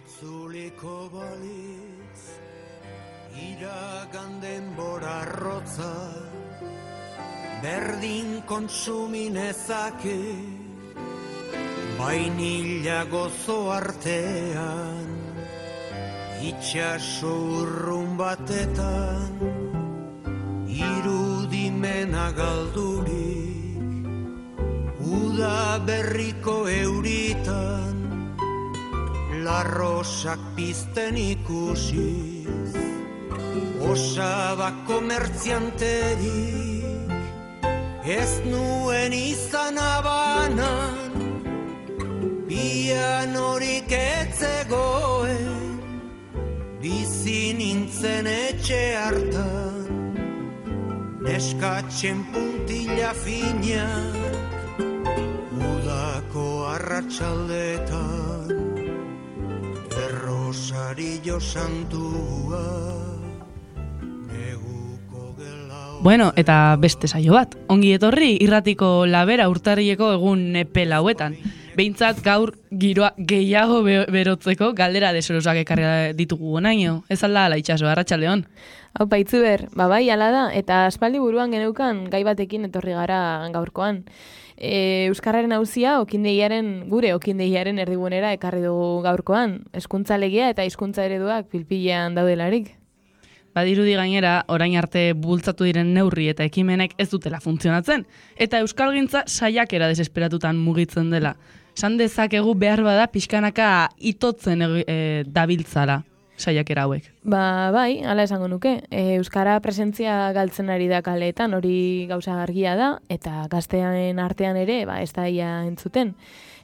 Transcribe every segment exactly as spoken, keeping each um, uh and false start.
Itzuliko balitz iragan denbora arrotza berdin kontsuminezake bainila gozo artean itxaso urrun batetan irudimena galdurik uda berriko euritan larrosak pizten ikusiz osaba komertzianterik ez nuen izan abanan pianorik etzegoen bizi nintzen etxe hartan neskatzen puntila finak udako arratsaldetan Rosario santua neguko gelau. Bueno, eta beste saio bat. Ongi etorri irratiko labera urtarrileko egun epe lauetan. Behintzat gaur giroa gehiago berotzeko galdera deserosak ekarri ditugu gonaino. Ez alda ala itxaso, arratsaldeon. Hau paitzu ber, babai ala da, eta aspaldi buruan geneukan gai batekin etorri gara gaurkoan. E, Euskarraren auzia okindeiaren gure okindeiaren erdigunera ekarri dugu gaurkoan, hezkuntza legea eta hizkuntza ereduak pilpilean daudelarik. Badirudi gainera, orain arte bultzatu diren neurri eta ekimenek ez dutela funtzionatzen, eta euskalgintza saiakera desesperatutan mugitzen dela. San dezakegu behar bada pixkanaka itotzen e, dabiltzala saiakera hauek. Ba, bai, hala esango nuke. E, Euskara presentzia galtzen ari da kaleetan, hori gauza argia da, eta gaztean artean ere, ba, ez da ia entzuten.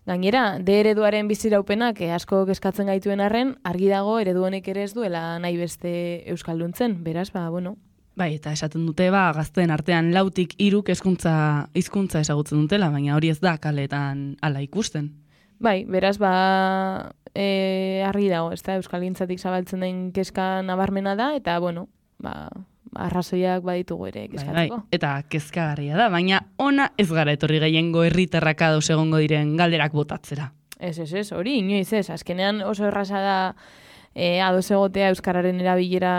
Gainera, de ereduaren biziraupenak e, asko kezkatzen gaituen arren, argi dago eredu honek ere ez duela nahi beste euskalduntzen, beraz, ba, bueno. Bai, eta esaten dute, ba, gazteen artean lautik hiruk hezkuntza hizkuntza ezagutzen dutela, baina hori ez da kaleetan hala ikusten. Bai, beraz, ba, e, argi dago, ez da, euskalgintzatik zabaltzen den kezka nabarmena da, eta, bueno, ba, arrazoiak baditugu ere kezkatzeko. Bai, bai, eta kezkagarria da, baina ona ez gara etorri gehiengo herritarrak ados egongo diren galderak botatzera. Ez, ez, ez, hori, inoiz ez, azkenean oso erraza da e, ados egotea euskararen erabilera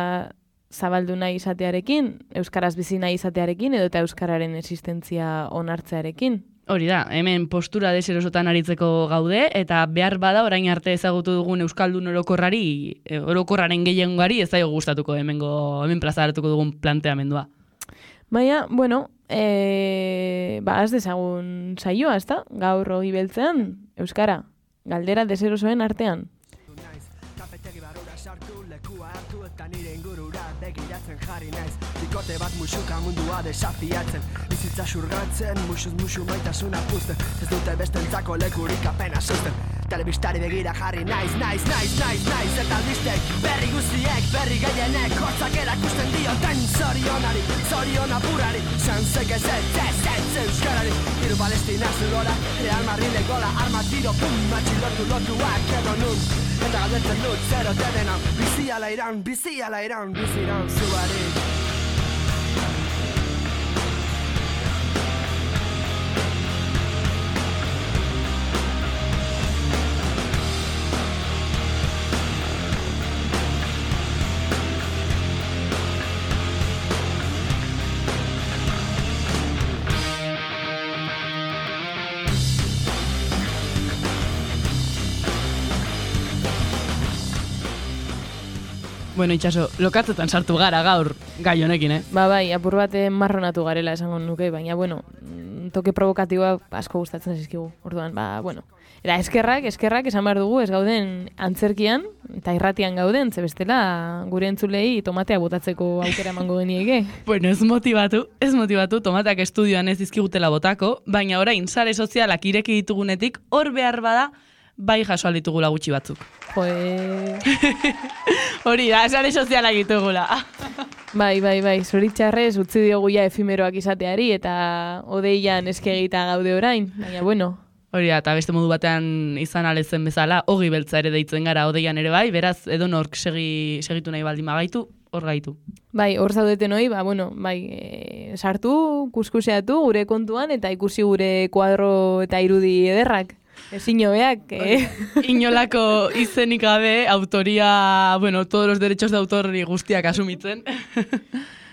zabaldu nahi izatearekin, euskaraz bizi nahi izatearekin, edo eta euskararen existentzia onartzearekin. Hori da, hemen postura deserosotan aritzeko gaude, eta behar bada orain arte ezagutu dugun euskaldun orokorrari, orokorraren gehiengoari ez zaio gustatuko hemengo, hemen plazaratuko dugun planteamendua. Baina, bueno, e, ba, az dezagun saioa, ez da? Gaur hori beltzean, euskara, galdera deserosoen artean. Bikote bat musuka mundua desafiatzen bizitza xurgatzen, musuz musu maitasuna puzten ez dute bestentzako lekurik apena susten telebistari begira jarri naiz, naiz, naiz, naiz, naiz eta albistek berri guztiek, berri gehienek hotzak erakusten dioten zorionari zorion apurari sanzek ez ez, ez, ez, euskarari hiru Palestina zugora, Real Madrid gola arma tiro, pum, matxilotu lotuak edo nun eta galdetzen dut zero dedena bizi ala iran, bizi ala iran, bizi iran zuari. Bueno, itxaso, lokatzetan sartu gara gaur gai honekin, eh? Ba, bai, apur bat marronatu garela esango nuke, baina, bueno, toke provokatiboa asko gustatzen zizkigu. Orduan, ba, bueno. Eta eskerrak, eskerrak esan behar dugu, ez gauden antzerkian, eta irratian gauden, ze bestela gure entzulei tomatea botatzeko aukera emango genieke. Bueno, ez motibatu, ez motibatu, tomateak estudioan ez dizkigutela botako, baina orain sare sozialak ireki ditugunetik, hor behar bada, bai jaso alditugula gutxi batzuk. Joe... Hori da, sare sozialak ditugula. Bai, bai, bai, zoritxarrez utzi diogu ja efimeroak izateari eta odeian eskegita gaude orain, baina bueno. Hori da, eta beste modu batean izan alezen bezala, ogi beltza ere deitzen gara odeian ere bai, beraz edonork segi, segitu nahi baldin magaitu, hor gaitu. Bai, hor zaudeten hori, ba, bueno, bai, e, sartu, kuskuseatu gure kontuan eta ikusi gure kuadro eta irudi ederrak. Ezin hobeak, eh? Inolako izenik gabe, autoria, bueno, todos los derechos de autor guztiak asumitzen.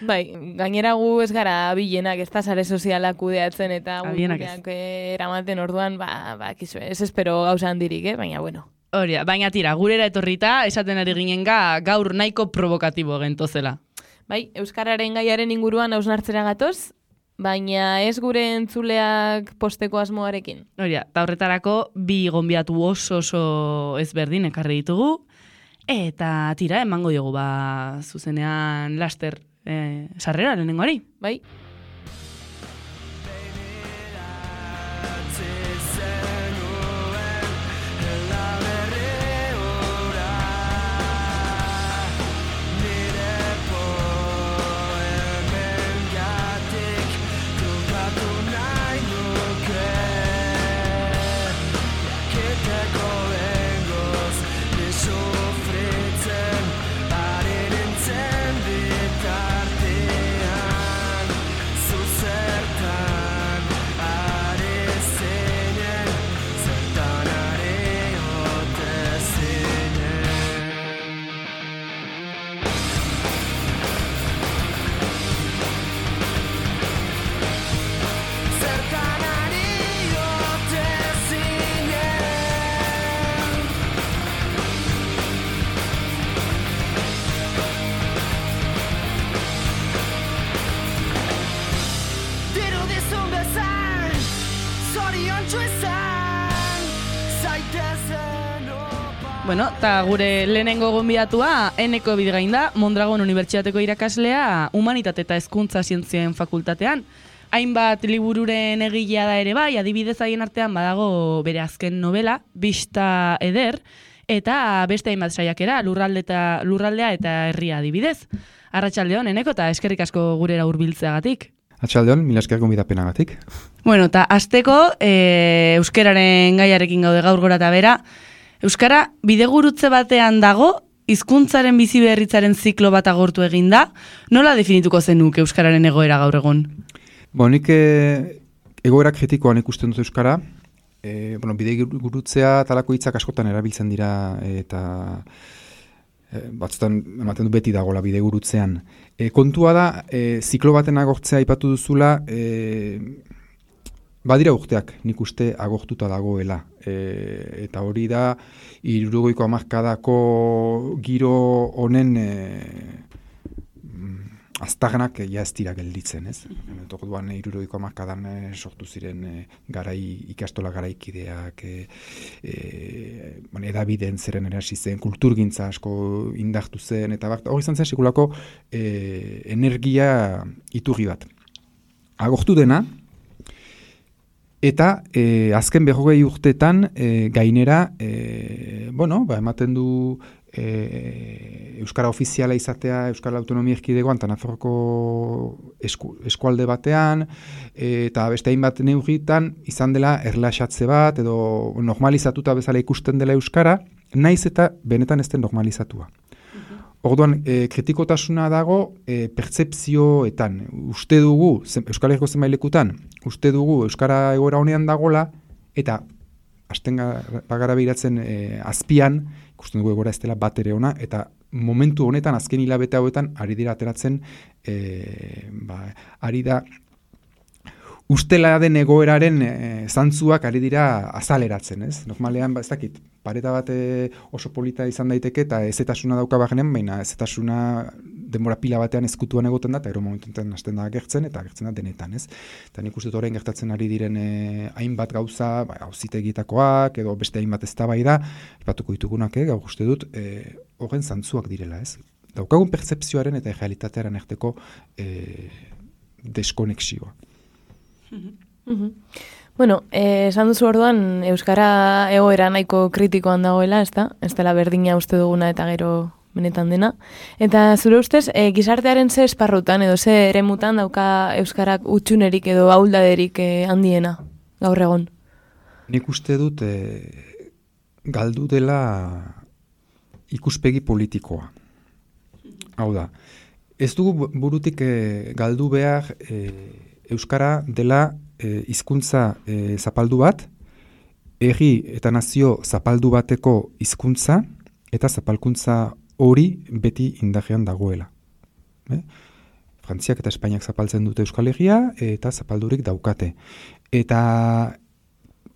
Bai, gainera gu ez gara bilenak, ez da sare sozialak kudeatzen eta Abilenak ez. eramaten orduan, ba, ba, kizu, ez espero gauza handirik, eh? Baina, bueno. Horia, baina tira, gurera etorrita, esaten ari ginen gaur nahiko provokatibo gentozela. Bai, Euskararen gaiaren inguruan hausnartzera gatoz, baina ez gure entzuleak posteko asmoarekin. Horia, eta horretarako bi gonbiatu oso oso ezberdin ekarri ditugu, eta tira, emango diogu, ba, zuzenean laster eh, sarrera lehenengoari. Bai. Bueno, eta gure lehenengo gonbidatua Eneko Bidegain da, Mondragon Unibertsitateko irakaslea, Humanitate eta Hezkuntza Zientzien Fakultatean. Hainbat libururen egilea da ere bai, adibidez haien artean badago bere azken novela, Bista Eder, eta beste hainbat saiakera, lurralde eta, lurraldea eta herria adibidez. Arratsaldeon, Eneko, eta eskerrik asko gurera hurbiltzeagatik. Arratsaldeon, mila esker gonbidapenagatik. Bueno, eta hasteko e, euskararen gaiarekin gaude gaur gora eta bera. Euskara bidegurutze batean dago, hizkuntzaren bizi berritzaren ziklo bat agortu egin da. Nola definituko zenuk euskararen egoera gaur egun? Bo, nik e, egoera kritikoan ikusten dut euskara. E, bueno, bidegurutzea talako hitzak askotan erabiltzen dira eta e, batzutan ematen du beti dagoela bidegurutzean. E, kontua da, e, ziklo baten agortzea aipatu duzula, e, badira urteak nik uste agortuta dagoela. E, eta hori da, hirurogeiko hamarkadako giro honen e, aztarnak ja ez dira gelditzen, ez? Orduan hirurogeiko hamarkadan e, sortu ziren e, garai ikastola garaikideak, e, e, bueno, edabideen zeren erasi zen, kulturgintza asko indartu zen, eta bat, hori izan zen sekulako e, energia iturri bat. Agortu dena, eta e, azken berrogei urtetan e, gainera, e, bueno, ba, ematen du e, euskara ofiziala izatea Euskal Autonomia Erkidegoan eta Nafarroko esku, eskualde batean, e, eta beste hainbat neurritan izan dela erlaxatze bat edo normalizatuta bezala ikusten dela euskara, naiz eta benetan ez den normalizatua. Orduan, e, kritikotasuna dago e, pertzepzioetan. Uste dugu, zen, Euskal Herriko zenbailekutan, uste dugu Euskara egoera honean dagola, eta hasten bagara behiratzen e, azpian, ikusten dugu egoera ez dela bat ere ona, eta momentu honetan, azken hilabete hauetan, ari dira ateratzen, e, ba, ari da, ustela den egoeraren e, zantzuak ari dira azaleratzen, ez? Normalean, ba, ez dakit, pareta bat e, oso polita izan daiteke eta ezetasuna dauka bagenen, baina ezetasuna denbora pila batean ezkutuan egoten da, eta ero momentuetan hasten da gertzen, eta gertzen da denetan, ez? Eta nik uste orain gertatzen ari diren e, hainbat gauza, ba, auzitegietakoak, edo beste hainbat eztabaida, aipatuko ditugunak, eh, gaur uste dut, e, horren zantzuak direla, ez? Daukagun pertzepzioaren eta realitatearen arteko e, deskonexioa. Mm-hmm. Bueno, eh, esan duzu orduan Euskara egoera nahiko kritikoan dagoela, ez da? Ez dela berdina uste duguna eta gero benetan dena. Eta zure ustez, eh, gizartearen ze esparrutan edo ze eremutan dauka Euskarak utxunerik edo ahuldaderik eh, handiena gaur egon? Nik uste dut eh, galdu dela ikuspegi politikoa. Hau da, ez dugu burutik eh, galdu behar eh, Euskara dela hizkuntza e, zapaldu bat, herri eta nazio zapaldu bateko hizkuntza eta zapalkuntza hori beti indarrean dagoela. Eh? Frantziak eta Espainiak zapaltzen dute Euskal Herria eta zapaldurik daukate. Eta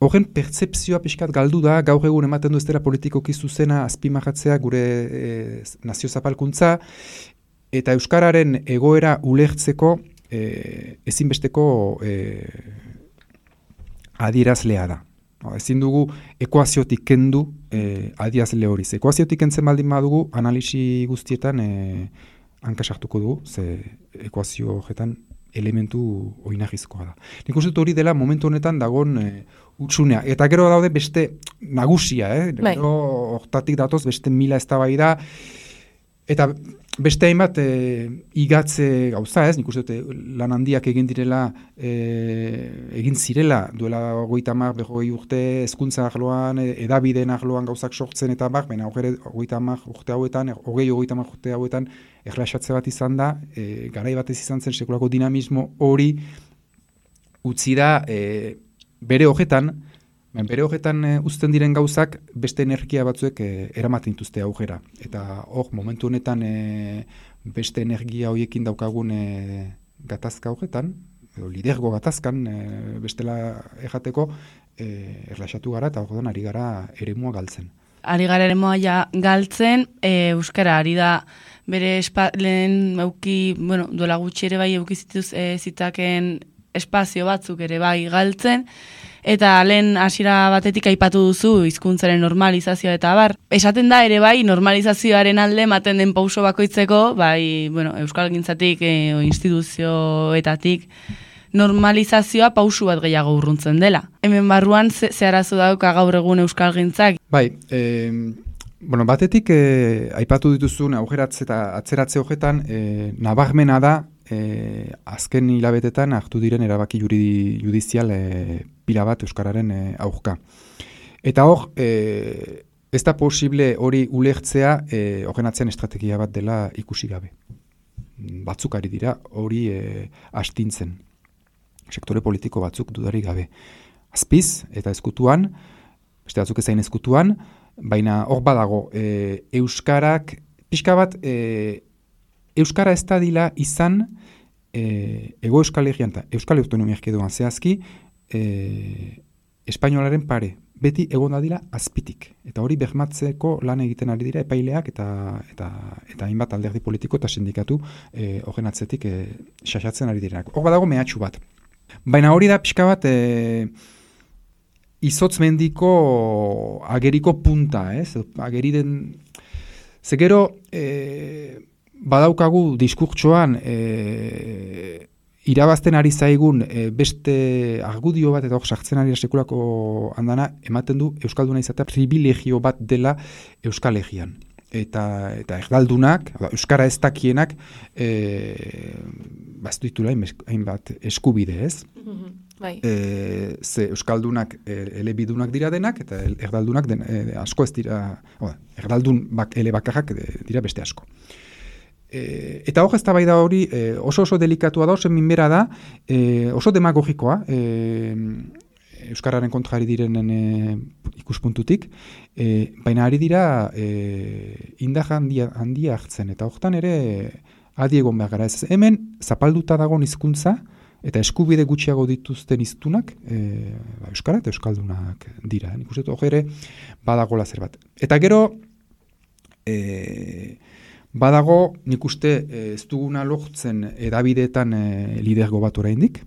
horren pertzepzioa pixkat galdu da, gaur egun ematen du ez dela politikoki zuzena azpimarratzea gure e, nazio zapalkuntza, eta Euskararen egoera ulertzeko e, ezinbesteko e, adierazlea da. No, ezin dugu ekuaziotik kendu e, adierazle hori. Ekuaziotik kentzen baldin badugu, analisi guztietan e, hankasartuko dugu, ze ekuazio horretan elementu oinarrizkoa da. Nik uste dut hori dela momentu honetan dagon e, utsunea. Eta gero daude beste nagusia, eh? Bai. Gero hortatik datoz beste mila eztabaida eta beste hainbat e, igatze gauza, ez? Nik uste dut lan handiak egin direla, e, egin zirela duela hogeita hamar, berrogei urte hezkuntza arloan, edabideen arloan gauzak sortzen eta bak, baina hogeita hamar urte hauetan, hogei hogeita hamar urte hauetan erlaxatze bat izan da, e, garai batez izan zen sekulako dinamismo hori utzi da e, bere horretan, bere horretan e, uzten diren gauzak beste energia batzuek e, eramaten dituzte aurrera. Eta hor, momentu honetan e, beste energia horiekin daukagun e, gatazka horretan, edo lidergo gatazkan e, bestela errateko e, erlaxatu gara eta horretan ari gara eremua galtzen. Ari gara eremua ja galtzen, e, Euskara ari da bere espa, lehen euki, bueno, duela gutxi ere bai euki zituz e, zitaken espazio batzuk ere bai galtzen, eta lehen hasiera batetik aipatu duzu hizkuntzaren normalizazioa eta bar. Esaten da ere bai normalizazioaren alde ematen den pauso bakoitzeko, bai, bueno, euskalgintzatik e, instituzioetatik normalizazioa pausu bat gehiago urruntzen dela. Hemen barruan ze, ze arazo dauka gaur egun euskalgintzak? Bai, eh, bueno, batetik eh, aipatu dituzun aurreratze eta atzeratze horretan eh, nabarmena da eh, azken hilabetetan hartu diren erabaki juridi, judizial eh, pila bat euskararen eh, aurka. Eta hor, eh, ez da posible hori ulertzea eh, horren atzean estrategia bat dela ikusi gabe. Batzuk ari dira hori eh, astintzen. Sektore politiko batzuk dudarik gabe. Azpiz eta ezkutuan, beste batzuk ezain ezkutuan, baina hor badago, e, euskarak, pixka bat, e, euskara ez da dila izan e, ego euskal herrian eta euskal autonomia erkidegoan zehazki e, espainolaren pare. Beti egon da dila azpitik. Eta hori bermatzeko lan egiten ari dira epaileak eta eta eta hainbat alderdi politiko eta sindikatu e, horren atzetik e, xaxatzen ari direnak. Hor badago mehatxu bat. Baina hori da pixka bat e, izotz mendiko ageriko punta, ez? Ageri den... Ze gero e, badaukagu diskurtsoan e, irabazten ari zaigun e, beste argudio bat eta hor sartzen ari sekulako andana ematen du euskalduna izatea privilegio bat dela Euskal Herrian. Eta, eta erdaldunak, euskara ez dakienak, e, baztu ditula hainbat eskubide, ez? Mm-hmm. Bai. E, ze euskaldunak e, elebidunak dira denak, eta erdaldunak den, e, asko ez dira, oda, erdaldun bak, ele bakarrak dira beste asko. E, eta hor ez da bai da hori e, oso oso delikatua da, oso minbera da, e, oso demagogikoa, e, euskararen kontra ari direnen e, ikuspuntutik, e, baina ari dira e, indar handia, handia hartzen, eta hortan ere adi egon behar gara. Ez, hemen zapalduta dagoen hizkuntza eta eskubide gutxiago dituzten hiztunak e, euskara eta euskaldunak dira. Nik uste dut ere badagola zerbait. Eta gero e, badago nik uste ez duguna lortzen edabideetan e, lidergo bat oraindik.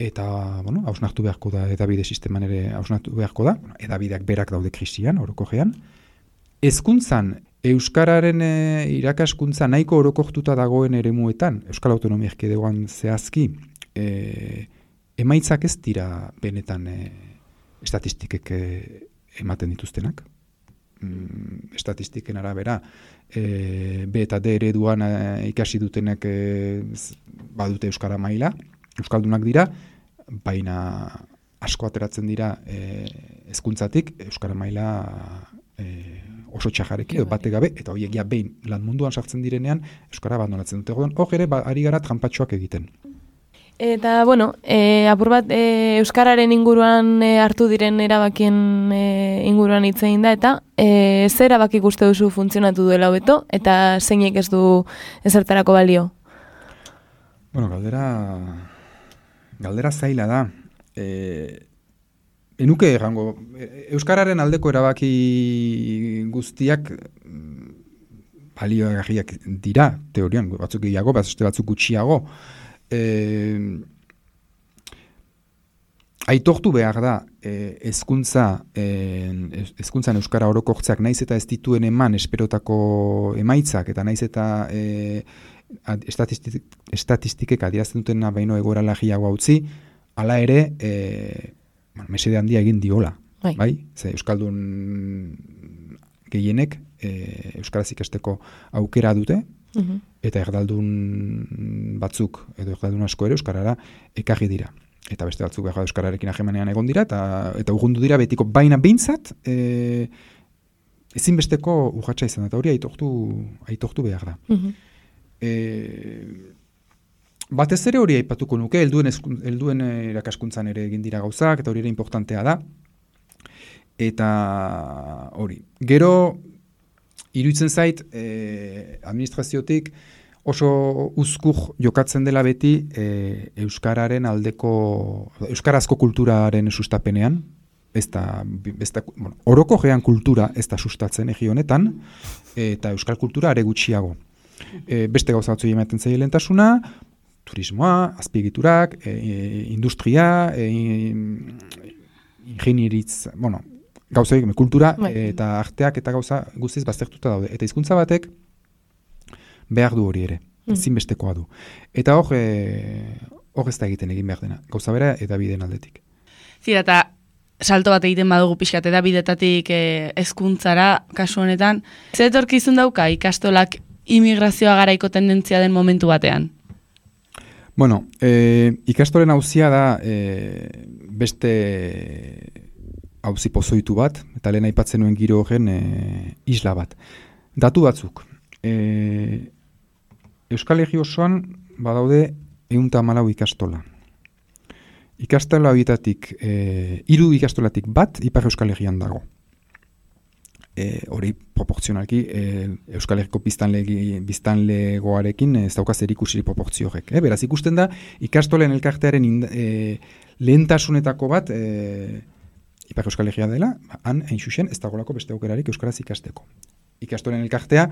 Eta, bueno, hausnartu beharko da, edabide sisteman ere hausnartu beharko da, edabideak berak daude krisian, orokorrean. Hezkuntzan, euskararen e, irakaskuntza nahiko orokortuta dagoen eremuetan, Euskal Autonomia Erkidegoan zehazki, e, emaitzak ez dira benetan e, estatistikek e, ematen dituztenak. Mm, estatistiken arabera, e, B eta D ereduan e, ikasi dutenek e, badute euskara maila, euskaldunak dira, baina asko ateratzen dira e, hezkuntzatik euskara maila e, oso txajareki edo bate gabe, eta horiek ja behin lan munduan sartzen direnean euskara abandonatzen dute. Hor ere ba, ari gara trampatxoak egiten. Eta, bueno, e, apur bat e, Euskararen inguruan e, hartu diren erabakien e, inguruan hitz egin da, eta e, zer erabaki uste duzu funtzionatu duela hobeto, eta zeinek ez du ezertarako balio? Bueno, galdera, galdera zaila da. E, enuke errango, Euskararen aldeko erabaki guztiak baliogarriak dira, teorian, batzuk gehiago, batzuk gutxiago. Eh, aitortu behar da eh, ezkuntza eh, ezkuntzan euskara orokortzeak naiz eta ez dituen eman esperotako emaitzak eta naiz eta eh, estatistik, estatistikek adierazten dutena baino egoera lagiago utzi, hala ere eh, mesede handia egin diola, bai? bai? Ze euskaldun gehienek eh, euskaraz ikasteko aukera dute. Uhum. Eta erdaldun batzuk edo erdaldun asko ere euskarara ekarri dira. Eta beste batzuk behar euskararekin hagemanean egon dira eta eta urrundu dira betiko baina behintzat e, ezinbesteko urratsa izan eta hori aitortu aitortu behar da. Uhum. E, batez ere hori aipatuko nuke, helduen helduen irakaskuntzan ere egin dira gauzak eta hori ere importantea da. Eta hori. Gero iruditzen zait, eh, administraziotik oso uzkur jokatzen dela beti eh, euskararen aldeko, euskarazko kulturaren sustapenean, ez da, ez da, bueno, oroko gean kultura ez da sustatzen egi honetan, eta euskal kultura are gutxiago. E, beste gauza batzu ematen zaile lehentasuna, turismoa, azpiegiturak, e, industria, e, ingenieritz, bueno, gauza egin, kultura eta arteak eta gauza guztiz baztertuta daude. Eta hizkuntza batek behar du hori ere, ezinbestekoa du. Eta hor, e, hor ez da egiten egin behar dena, gauza bera eta bideen aldetik. Zira, eta salto bat egiten badugu pixkat, eta bidetatik hezkuntzara kasu honetan, zer etorkizun dauka ikastolak immigrazioa garaiko tendentzia den momentu batean? Bueno, e, ikastolen auzia da e, beste auzi pozoitu bat, eta lehen aipatzen nuen giro horren e, isla bat. Datu batzuk. E, Euskal Herri osoan badaude ehun eta hamalau ikastola. Ikastola horietatik, e, hiru ikastolatik bat Ipar Euskal Herrian dago. E, hori proportzionalki e, Euskal Herriko biztanlegoarekin ez dauka zerikusirik proportzio horrek. E, beraz ikusten da, ikastolen elkartearen inda, e, lehentasunetako bat e, Ipar Euskal Herria dela, han, hain xuxen, ez dagolako beste aukerarik euskaraz ikasteko. Ikastolen elkartea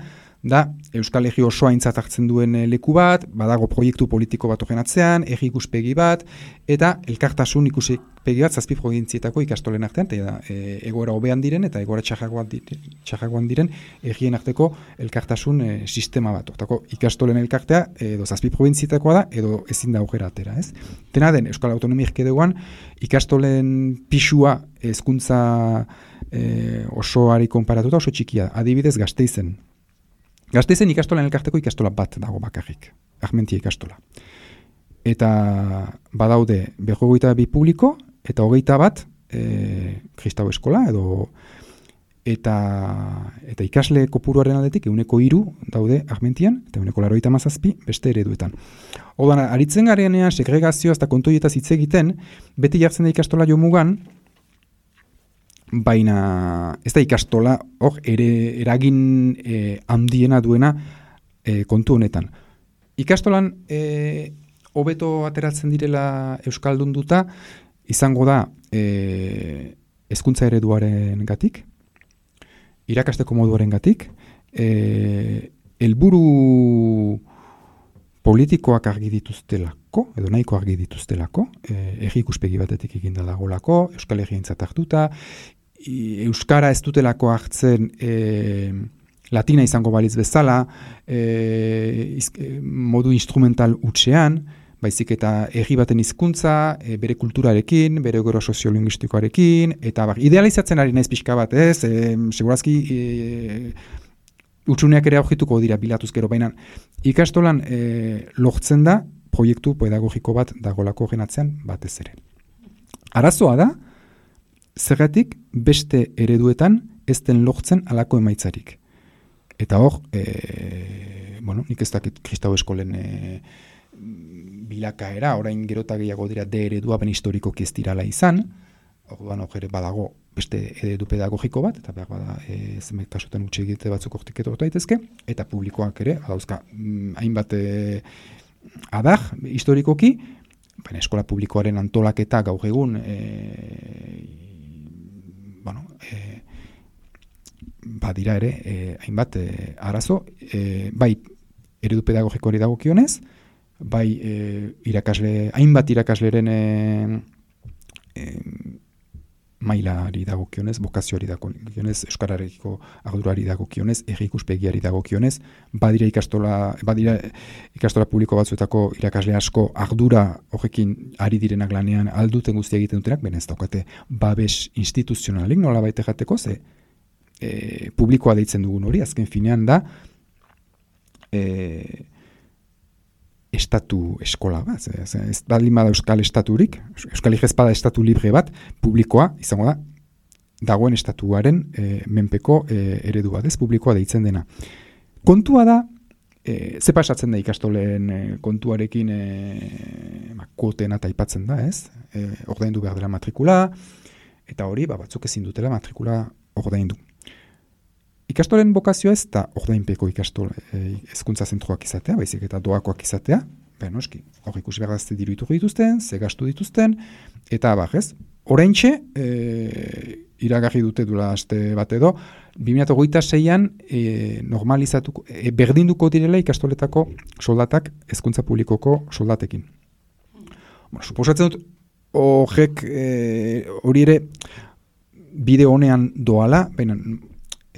da Euskal Herri osoa aintzat hartzen duen leku bat, badago proiektu politiko bat horren atzean, herri ikuspegi bat, eta elkartasun ikuspegi bat zazpi provientzietako ikastolen artean, eta e, egoera hobean diren eta egoera txarragoan diren, txarragoan diren herrien arteko elkartasun e, sistema bat. Hortako ikastolen elkartea edo zazpi provientzietakoa da, edo ezin da aukera atera, ez? Dena den, Euskal Autonomia Erkidegoan ikastolen pisua hezkuntza e, osoari konparatuta oso txikia, adibidez Gasteizen. Gasteizen ikastolan elkarteko ikastola bat dago bakarrik, Armentia ikastola. Eta badaude berrogeita bi publiko, eta hogeita bat e, kristau eskola, edo eta, eta ikasle kopuruaren aldetik ehuneko hiru daude Armentian, eta ehuneko laurogeita hamazazpi beste ereduetan. Orduan, aritzen garenean segregazioa eta kontoietaz hitz egiten, beti jartzen da ikastola jo mugan, baina ez da ikastola hor ere eragin e, handiena duena e, kontu honetan. Ikastolan e, hobeto ateratzen direla euskaldunduta izango da e, hezkuntza ereduaren gatik, irakasteko moduaren gatik, e, helburu politikoak argi dituztelako, edo nahiko argi dituztelako, e, herri ikuspegi batetik eginda dagolako, Euskal Herrientzat hartuta, euskara ez dutelako hartzen e, latina izango balitz bezala, e, iz, e, modu instrumental hutsean, baizik eta herri baten hizkuntza, e, bere kulturarekin, bere gero soziolinguistikoarekin, eta bar, idealizatzen ari naiz pixka bat, ez, e, segurazki e, utsuneak ere aurkituko dira bilatuz gero, baina ikastolan e, lortzen da proiektu pedagogiko bat dagolako genatzean batez ere. Arazoa da, zergatik beste ereduetan ez den lortzen alako emaitzarik. Eta hor, e, bueno, nik ez dakit kristau eskolen e, bilakaera, orain gerota gehiago dira D eredua ben historikoki ez dirala izan, orduan hor ere badago beste eredu pedagogiko bat, eta behar bada e, zenbait kasutan utxe egite batzuk hortik etortu daitezke, eta publikoak ere, adauzka, mm, hainbat e, adar historikoki, baina eskola publikoaren antolaketa gaur egun e, bueno, e, badira ere e, hainbat e, arazo, e, bai eredu pedagogikoari dagokionez, bai e, irakasle, hainbat irakasleren e, e, mailari dagokionez, bokazioari dagokionez, euskararekiko ardurari dagokionez, herri ikuspegiari dagokionez, badira ikastola, badira ikastola publiko batzuetako irakasle asko ardura horrekin ari direnak lanean alduten guztia egiten dutenak, baina ez daukate babes instituzionalik nola baita jateko, ze e, publikoa deitzen dugun hori, azken finean da e, estatu eskola bat, ez, ez baldin bada euskal estaturik, euskal igezpada estatu libre bat, publikoa, izango da, dagoen estatuaren e, menpeko e, eredu bat, ez publikoa deitzen dena. Kontua da, e, ze pasatzen da ikastolen e, kontuarekin e, kuotena taipatzen da, ez? E, ordaindu behar dela matrikula, eta hori, ba, batzuk ezin dutela matrikula ordaindu. Ikastolen bokazioa ez da ordainpeko ikastol hezkuntza e, zentroak izatea, baizik eta doakoak izatea, baina noski, hor ikusi behar dazte diru iturri dituzten, ze gastu dituzten, eta abar, ez? Oraintxe, e, iragarri dute dula aste bat edo, bi mila hogeita seian e, normalizatuko, e, berdinduko direla ikastoletako soldatak hezkuntza publikoko soldatekin. Bueno, suposatzen dut, horrek hori e, ere bide honean doala, baina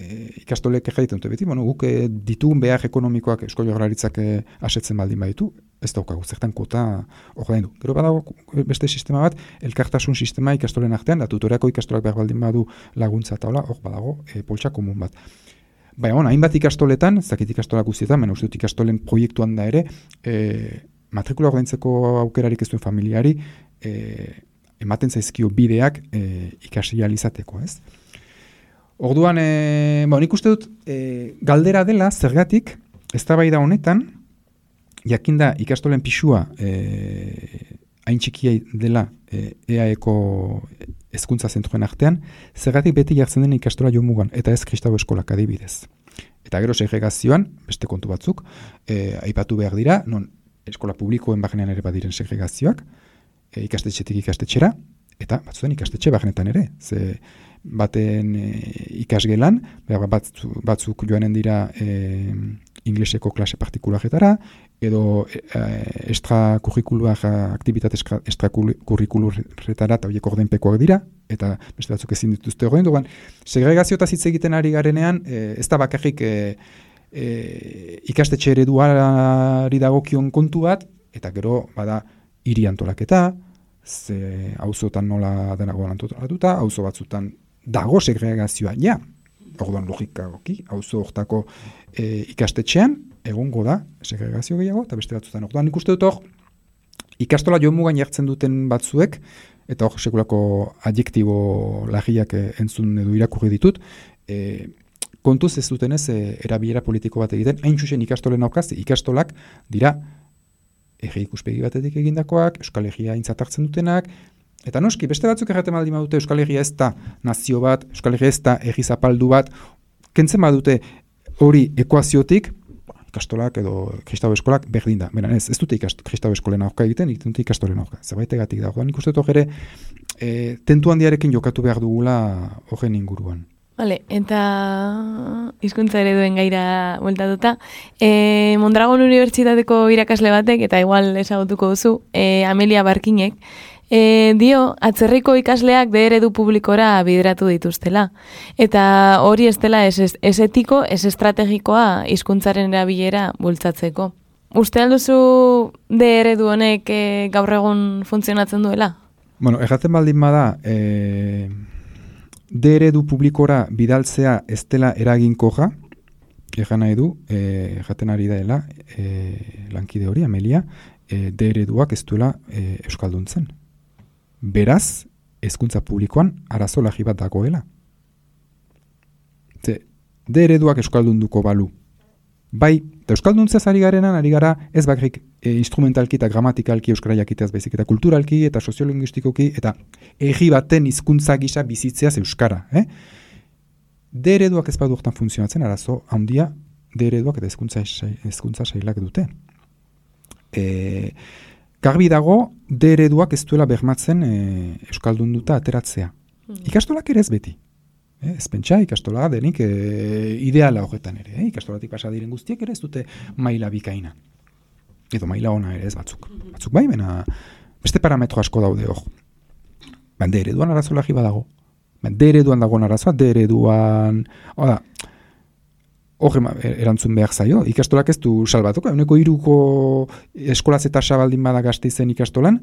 E, ikastolek egiten dute beti, bueno, guk e, ditugun behar ekonomikoak Eusko Jaurlaritzak e, asetzen baldin baditu, ez daukagu, zertan kota ordaindu. Gero badago beste sistema bat, elkartasun sistema ikastolen artean, da tutoreako ikastolak behar baldin badu laguntza eta hola, hor badago e, poltsa komun bat. Baina, bueno, hainbat ikastoletan, ez dakit ikastolak guztietan, baina uste dut ikastolen proiektuan da ere, e, matrikula ordaintzeko aukerarik ez duen familiari, e, ematen zaizkio bideak e, ikasi ahal izateko, ez? Orduan, e, bon, nik uste dut, e, galdera dela, zergatik, eztabaida honetan, jakinda ikastolen pisua e, hain txikia dela e, E A Eko hezkuntza zentroen artean, zergatik beti jartzen den ikastola jomugan, eta ez kristau eskolak adibidez. Eta gero segregazioan, beste kontu batzuk, e, aipatu behar dira, non eskola publikoen barnean ere badiren segregazioak, e, ikastetxetik ikastetxera, eta batzuen ikastetxe barnetan ere, ze baten e, ikasgelan, batzuk, batzuk joanen dira e, ingleseko klase partikularretara, edo e, extrakurrikular aktibitate extrakurrikularretara eta horiek ordenpekoak dira, eta beste batzuk ezin dituzte ordaindu. Segregazio eta hitz egiten ari garenean, e, ez da bakarrik e, e, ikastetxe ereduari dagokion kontu bat, eta gero bada hiri antolaketa, ze auzotan nola denagoan antolatuta, auzo batzutan dago segregazioa, ja, orduan logikagoki, auzo hortako e, ikastetxean, egongo da segregazio gehiago, eta beste batzutan. Orduan nik uste dut hor, ikastola joan mugan jartzen duten batzuek, eta hor sekulako adjektibo lagiak entzun edo irakurri ditut, e, kontuz ez dutenez e, erabilera politiko bat egiten, hain txusen ikastolen aukaz, ikastolak dira herri ikuspegi batetik egindakoak, Euskal Herria aintzat hartzen dutenak, eta noski, beste batzuk erraten baldin badute Euskal Herria ez da nazio bat, Euskal Herria ez da herri zapaldu bat, kentzen badute hori ekuaziotik, ikastolak edo kristau eskolak berdin da. Bena ez, ez dute kristau eskolen aurka egiten, egiten dute ikastolen aurka. Zerbaitegatik da. Orduan nik uste dut ere, e, tentu handiarekin jokatu behar dugula horren inguruan. Vale, eta hizkuntza ereduen gaira bueltatuta, e, Mondragon Unibertsitateko irakasle batek, eta igual ezagutuko duzu, e, Amelia Barkinek, e, dio, atzerriko ikasleak de eredu publikora bideratu dituztela. Eta hori ez dela ez, ez etiko, ez estrategikoa hizkuntzaren erabilera bultzatzeko. Uste alduzu de eredu honek e, gaur egun funtzionatzen duela? Bueno, erraten baldin bada, e... de eredu publikora bidaltzea ez dela eraginkorra, egan nahi du, e, jaten ari daela, e, lankide hori, Amelia, e, de ereduak ez duela e, euskalduntzen. Beraz, hezkuntza publikoan arazo lagi bat dagoela. Ze, de ereduak euskaldunduko balu, Bai, eta euskalduntzaz ari garenan, ari gara ez bakarrik e, instrumentalki eta gramatikalki euskara jakiteaz baizik, eta kulturalki eta soziolinguistikoki eta egi baten hizkuntza gisa bizitzeaz euskara. Eh? D ereduak ez badu hortan funtzionatzen, arazo handia D ereduak eta hezkuntza hezkuntza sailak dute. E, garbi dago D ereduak ez duela bermatzen e, euskaldunduta ateratzea. Hmm. Ikastolak ere ez beti. Eh, ez pentsa, ikastola denik e, ideala horretan ere. Eh? Ikastolatik pasa diren guztiek ere ez dute maila bikaina. Edo maila ona ere ez batzuk. Batzuk bai, bena beste parametro asko daude hor. Ben, D ereduan arazo lagi badago. Ben, D ereduan dagoen arazoa, D ereduan... Oda, hor erantzun behar zaio, ikastolak ez du salbatuko, euneko iruko eskolaz eta sabaldin bada Gasteizen ikastolan,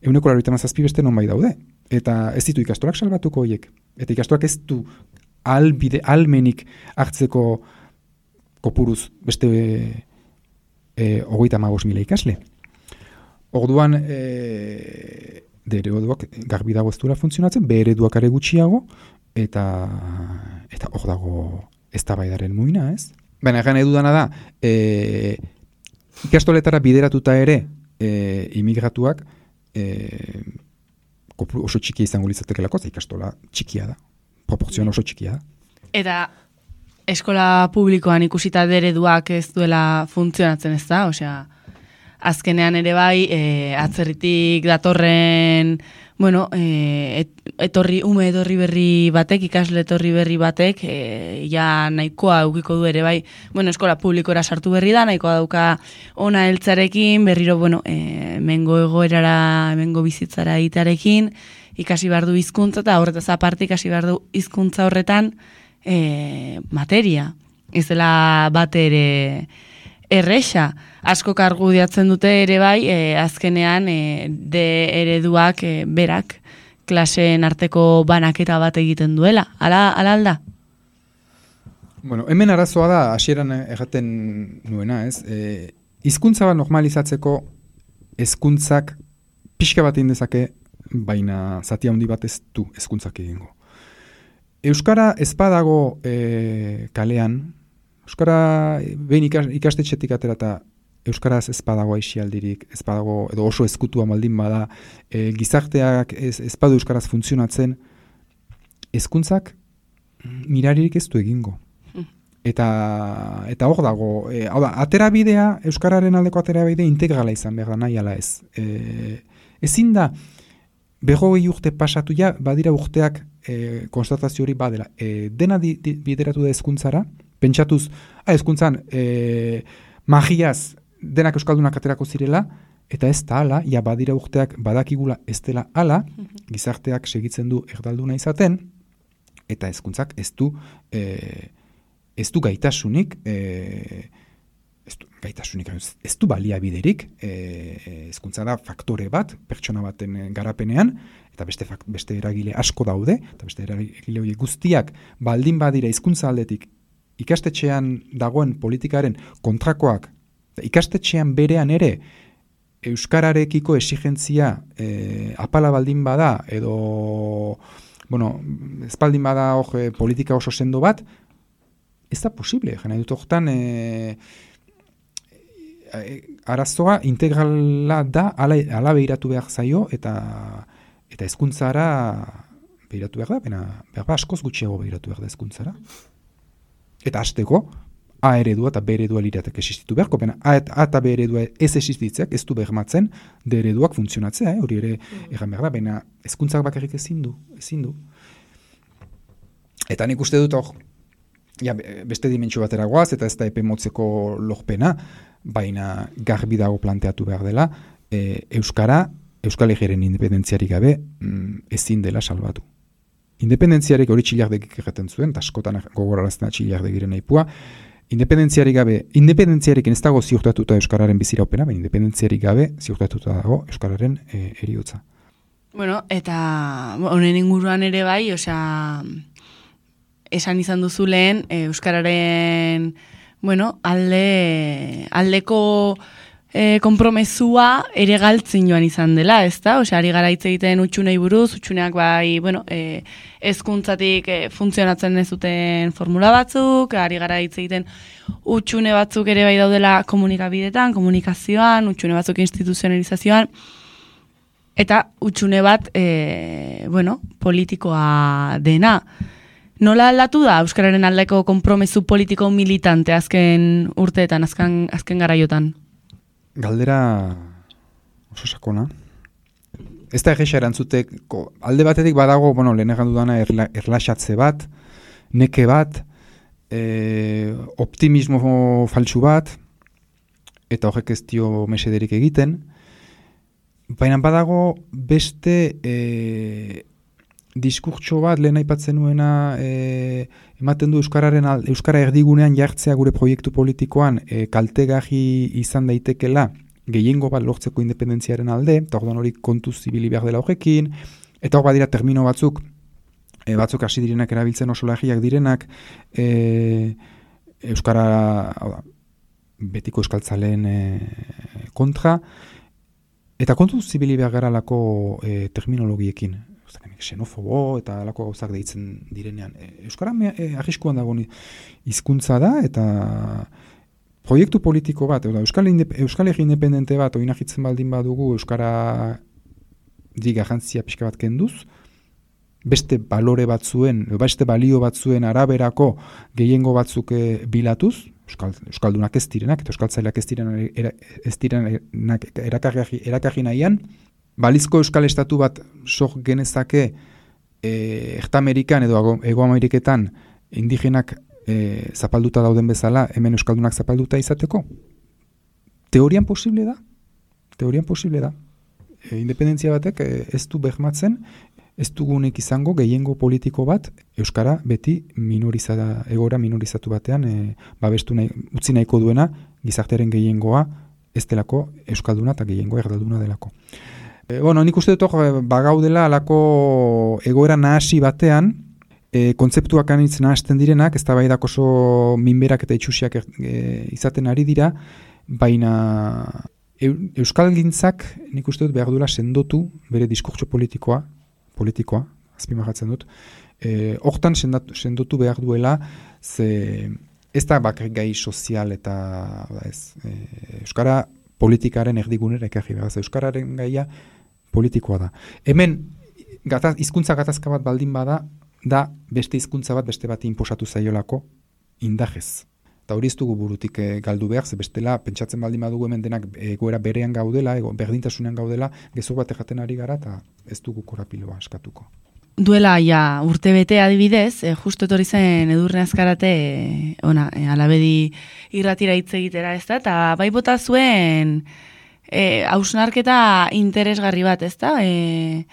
euneko larogeita hamazazpi beste non bai daude. Eta ez ditu ikastolak salbatuko horiek. Eta ikastolak ez du albide, almenik hartzeko kopuruz beste e, hogeita hamabost mila ikasle. Orduan, e, D ereduak garbi dago ez duela funtzionatzen, B ereduak are gutxiago, eta eta hor dago eztabaidaren muina, ez? Baina egan edudana da, e, ikastoletara bideratuta ere e, imigratuak e, oso txikia izango litzatekelako, ikastola txikia da, proportzioan oso txikia da. Eta eskola publikoan ikusita D ereduak ez duela funtzionatzen, ez da? Osea, azkenean ere bai, e, atzerritik datorren, bueno, e, et, etorri, ume etorri berri batek, ikasle etorri berri batek, e, ja nahikoa eukiko du ere bai, bueno, eskola publikora sartu berri da, nahikoa dauka ona heltzarekin, berriro, bueno, e, mengo egoerara, mengo bizitzara itarekin, ikasi behar du hizkuntza eta horretaz aparte ikasi behar du hizkuntza horretan e, materia. Ez dela bate ere erresa. Asko argudiatzen dute ere bai, e, azkenean e, D ereduak e, berak klaseen arteko banaketa bat egiten duela. Ala, ala alda? Bueno, hemen arazoa da, hasieran erraten nuena, ez? E, hizkuntza bat normalizatzeko hezkuntzak pixka bat egin dezake, baina zati handi bat ez du hezkuntzak egingo. Euskara ez badago e, kalean, Euskara behin ikastetxetik atera eta Euskaraz ez badago aixialdirik, ez badago, edo oso ezkutua baldin bada, e, gizarteak ez, ez badu Euskaraz funtzionatzen, hezkuntzak miraririk ez du egingo. Eta, eta hor dago, e, hau da, aterabidea, Euskararen aldeko aterabidea integrala izan behar da, nahi ala ez. E, ezin da, berrogei urte pasatu ja, badira urteak e, konstatazio hori badela. E, dena di, di, bideratu da hezkuntzara, pentsatuz, ah, hezkuntzan, e, magiaz, denak euskaldunak aterako zirela, eta ez da ala, ja badira urteak badakigula ez dela ala, gizarteak segitzen du erdalduna izaten, eta hezkuntzak ez du, e, ez du gaitasunik, e, ez du gaitasunik, ez du baliabiderik, hezkuntza da faktore bat, pertsona baten garapenean, eta beste, beste eragile asko daude, eta beste eragile horiek guztiak baldin badira hizkuntza aldetik ikastetxean dagoen politikaren kontrakoak, ikastetxean berean ere euskararekiko exigentzia e, apala baldin bada, edo, bueno, ez baldin bada hor politika oso sendo bat, ez da posible, jena dut horretan e, e, arazoa integrala da, ala, ala behiratu behar zaio, eta eta hezkuntzara behiratu behar da, bena, behar ba askoz gutxiago behiratu behar da hezkuntzara. Eta hasteko, A eredua eta B eredua liratek existitu beharko, bena A eta B eredua ez existitzeak ez du bermatzen D ereduak funtzionatzea, eh? Hori ere mm. egan behar da, bena hezkuntzak bakarrik ezin du, ezin du. Eta nik uste dut hor, ja, beste dimentsio batera goaz, eta ez da epe motzeko lorpena, baina garbi dago planteatu behar dela, e, Euskara, Euskal Herriaren independentziarik gabe mm, ezin dela salbatu. Independentziarik hori txilardegik erraten zuen, eta askotan gogorarazten txilardegiren aipua, independentziarik gabe, independentziarik ez dago ziurtatuta Euskararen biziraupena, baina independentziarik gabe ziurtatuta dago Euskararen e, eriotza. Bueno, eta honen inguruan ere bai, osea, esan izan duzu lehen, Euskararen, bueno, alde, aldeko e, konpromesua ere galtzen joan izan dela, ez da? Osea, ari gara hitz egiten utxunei buruz, utxuneak bai, bueno, e, hezkuntzatik e, funtzionatzen ez duten formula batzuk, ari gara hitz egiten utxune batzuk ere bai daudela komunikabidetan, komunikazioan, utxune batzuk instituzionalizazioan, eta utxune bat, e, bueno, politikoa dena. Nola aldatu da euskararen aldeko konpromesu politiko militante azken urteetan, azken, azken garaiotan? Galdera oso sakona. Ez da egesa erantzuteko, alde batetik badago, bueno, lehen egan dudana erla, erlaxatze bat, neke bat, e, optimismo faltsu bat, eta horrek ez dio mesederik egiten, baina badago beste e, diskurtso bat, lehen aipatzen nuena, e, ematen du euskararen alde, euskara erdigunean jartzea gure proiektu politikoan e, kaltegarri izan daitekela gehiengo bat lortzeko independentziaren alde, eta orduan hori kontuz zibili behar dela horrekin, eta hor badira termino batzuk, e, batzuk hasi direnak erabiltzen oso lagiak direnak, e, euskara, hau da, betiko euskaltzaleen e, kontra, eta kontuz zibili behar gara lako e, terminologiekin, xenofobo eta alako gauzak deitzen direnean. Euskara e, arriskuan dago hizkuntza da eta proiektu politiko bat, Euskal, Euskal Herri independente bat oinahitzen baldin badugu Euskara di garrantzia pixka bat kenduz, beste balore batzuen, beste balio batzuen araberako gehiengo batzuk e, bilatuz, Euskal, Euskaldunak ez direnak, eta Euskaltzaileak ez direnak, era, ez direnak erakarri, erakarri nahian, balizko Euskal Estatu bat sok genezake e, Erta-Amerikan edo Ego-Ameriketan indigenak e, zapalduta dauden bezala, hemen Euskaldunak zapalduta izateko? Teorian posible da? Teorian posible da. E, independentzia batek e, ez du behmatzen, ez dugunek izango gehiengo politiko bat Euskara beti minorizada, egora minorizatu batean e, babestu nahi, utzi nahiko duena gizartearen gehiengoa ez delako Euskalduna eta gehiengoa erdalduna delako. E, bueno, nik uste dut hor bagaudela alako egoera nahasi batean, e, kontzeptuak anitz nahasten direnak, ez da bai oso minberak eta itxusiak e, izaten ari dira, baina e, Euskalgintzak nik uste dut behar duela sendotu bere diskurtso politikoa, politikoa, azpimarratzen dut, e, hortan sendotu behar duela, ze ez da bakarrik gai sozial eta ez, e, Euskara politikaren erdigunera ekarri behar, Euskararen gaia politikoa da. Hemen, gataz, hizkuntza gatazka bat baldin bada, da beste hizkuntza bat beste bat inposatu zaiolako indajez. Eta hori ez dugu burutik e, galdu behar, ze bestela, pentsatzen baldin badugu hemen denak egoera berean gaudela, ego, berdintasunean gaudela, gezur bat erraten ari gara, eta ez dugu korapiloa askatuko. Duela, ja, urte bete adibidez, e, justo etorri zen Edurne Azkarate, e, ona, e, alabedi irratira hitz egitera, ez da, eta bai bota zuen e, hausnarketa interesgarri bat, ez da, e,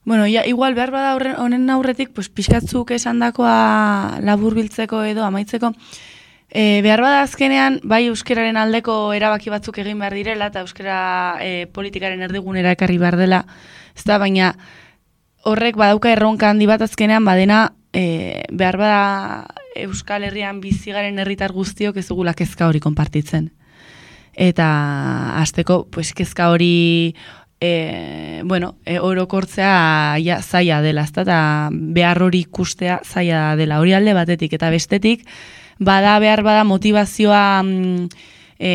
bueno, ja, igual behar bada horren, honen aurretik, pues, pixkatzuk esandakoa laburbiltzeko edo amaitzeko, e, behar bada azkenean, bai euskararen aldeko erabaki batzuk egin behar direla, eta euskara e, politikaren erdigunera ekarri behar dela, ez da, baina horrek badauka erronka handi bat azkenean badena e, behar bada Euskal Herrian bizigaren herritar guztiok ez dugula kezka hori konpartitzen. Eta hasteko pues, kezka hori e, bueno, e, orokortzea ja, zaila dela, ezta, eta behar hori ikustea zaila dela. Hori alde batetik eta bestetik, bada behar bada motivazioa mm, e,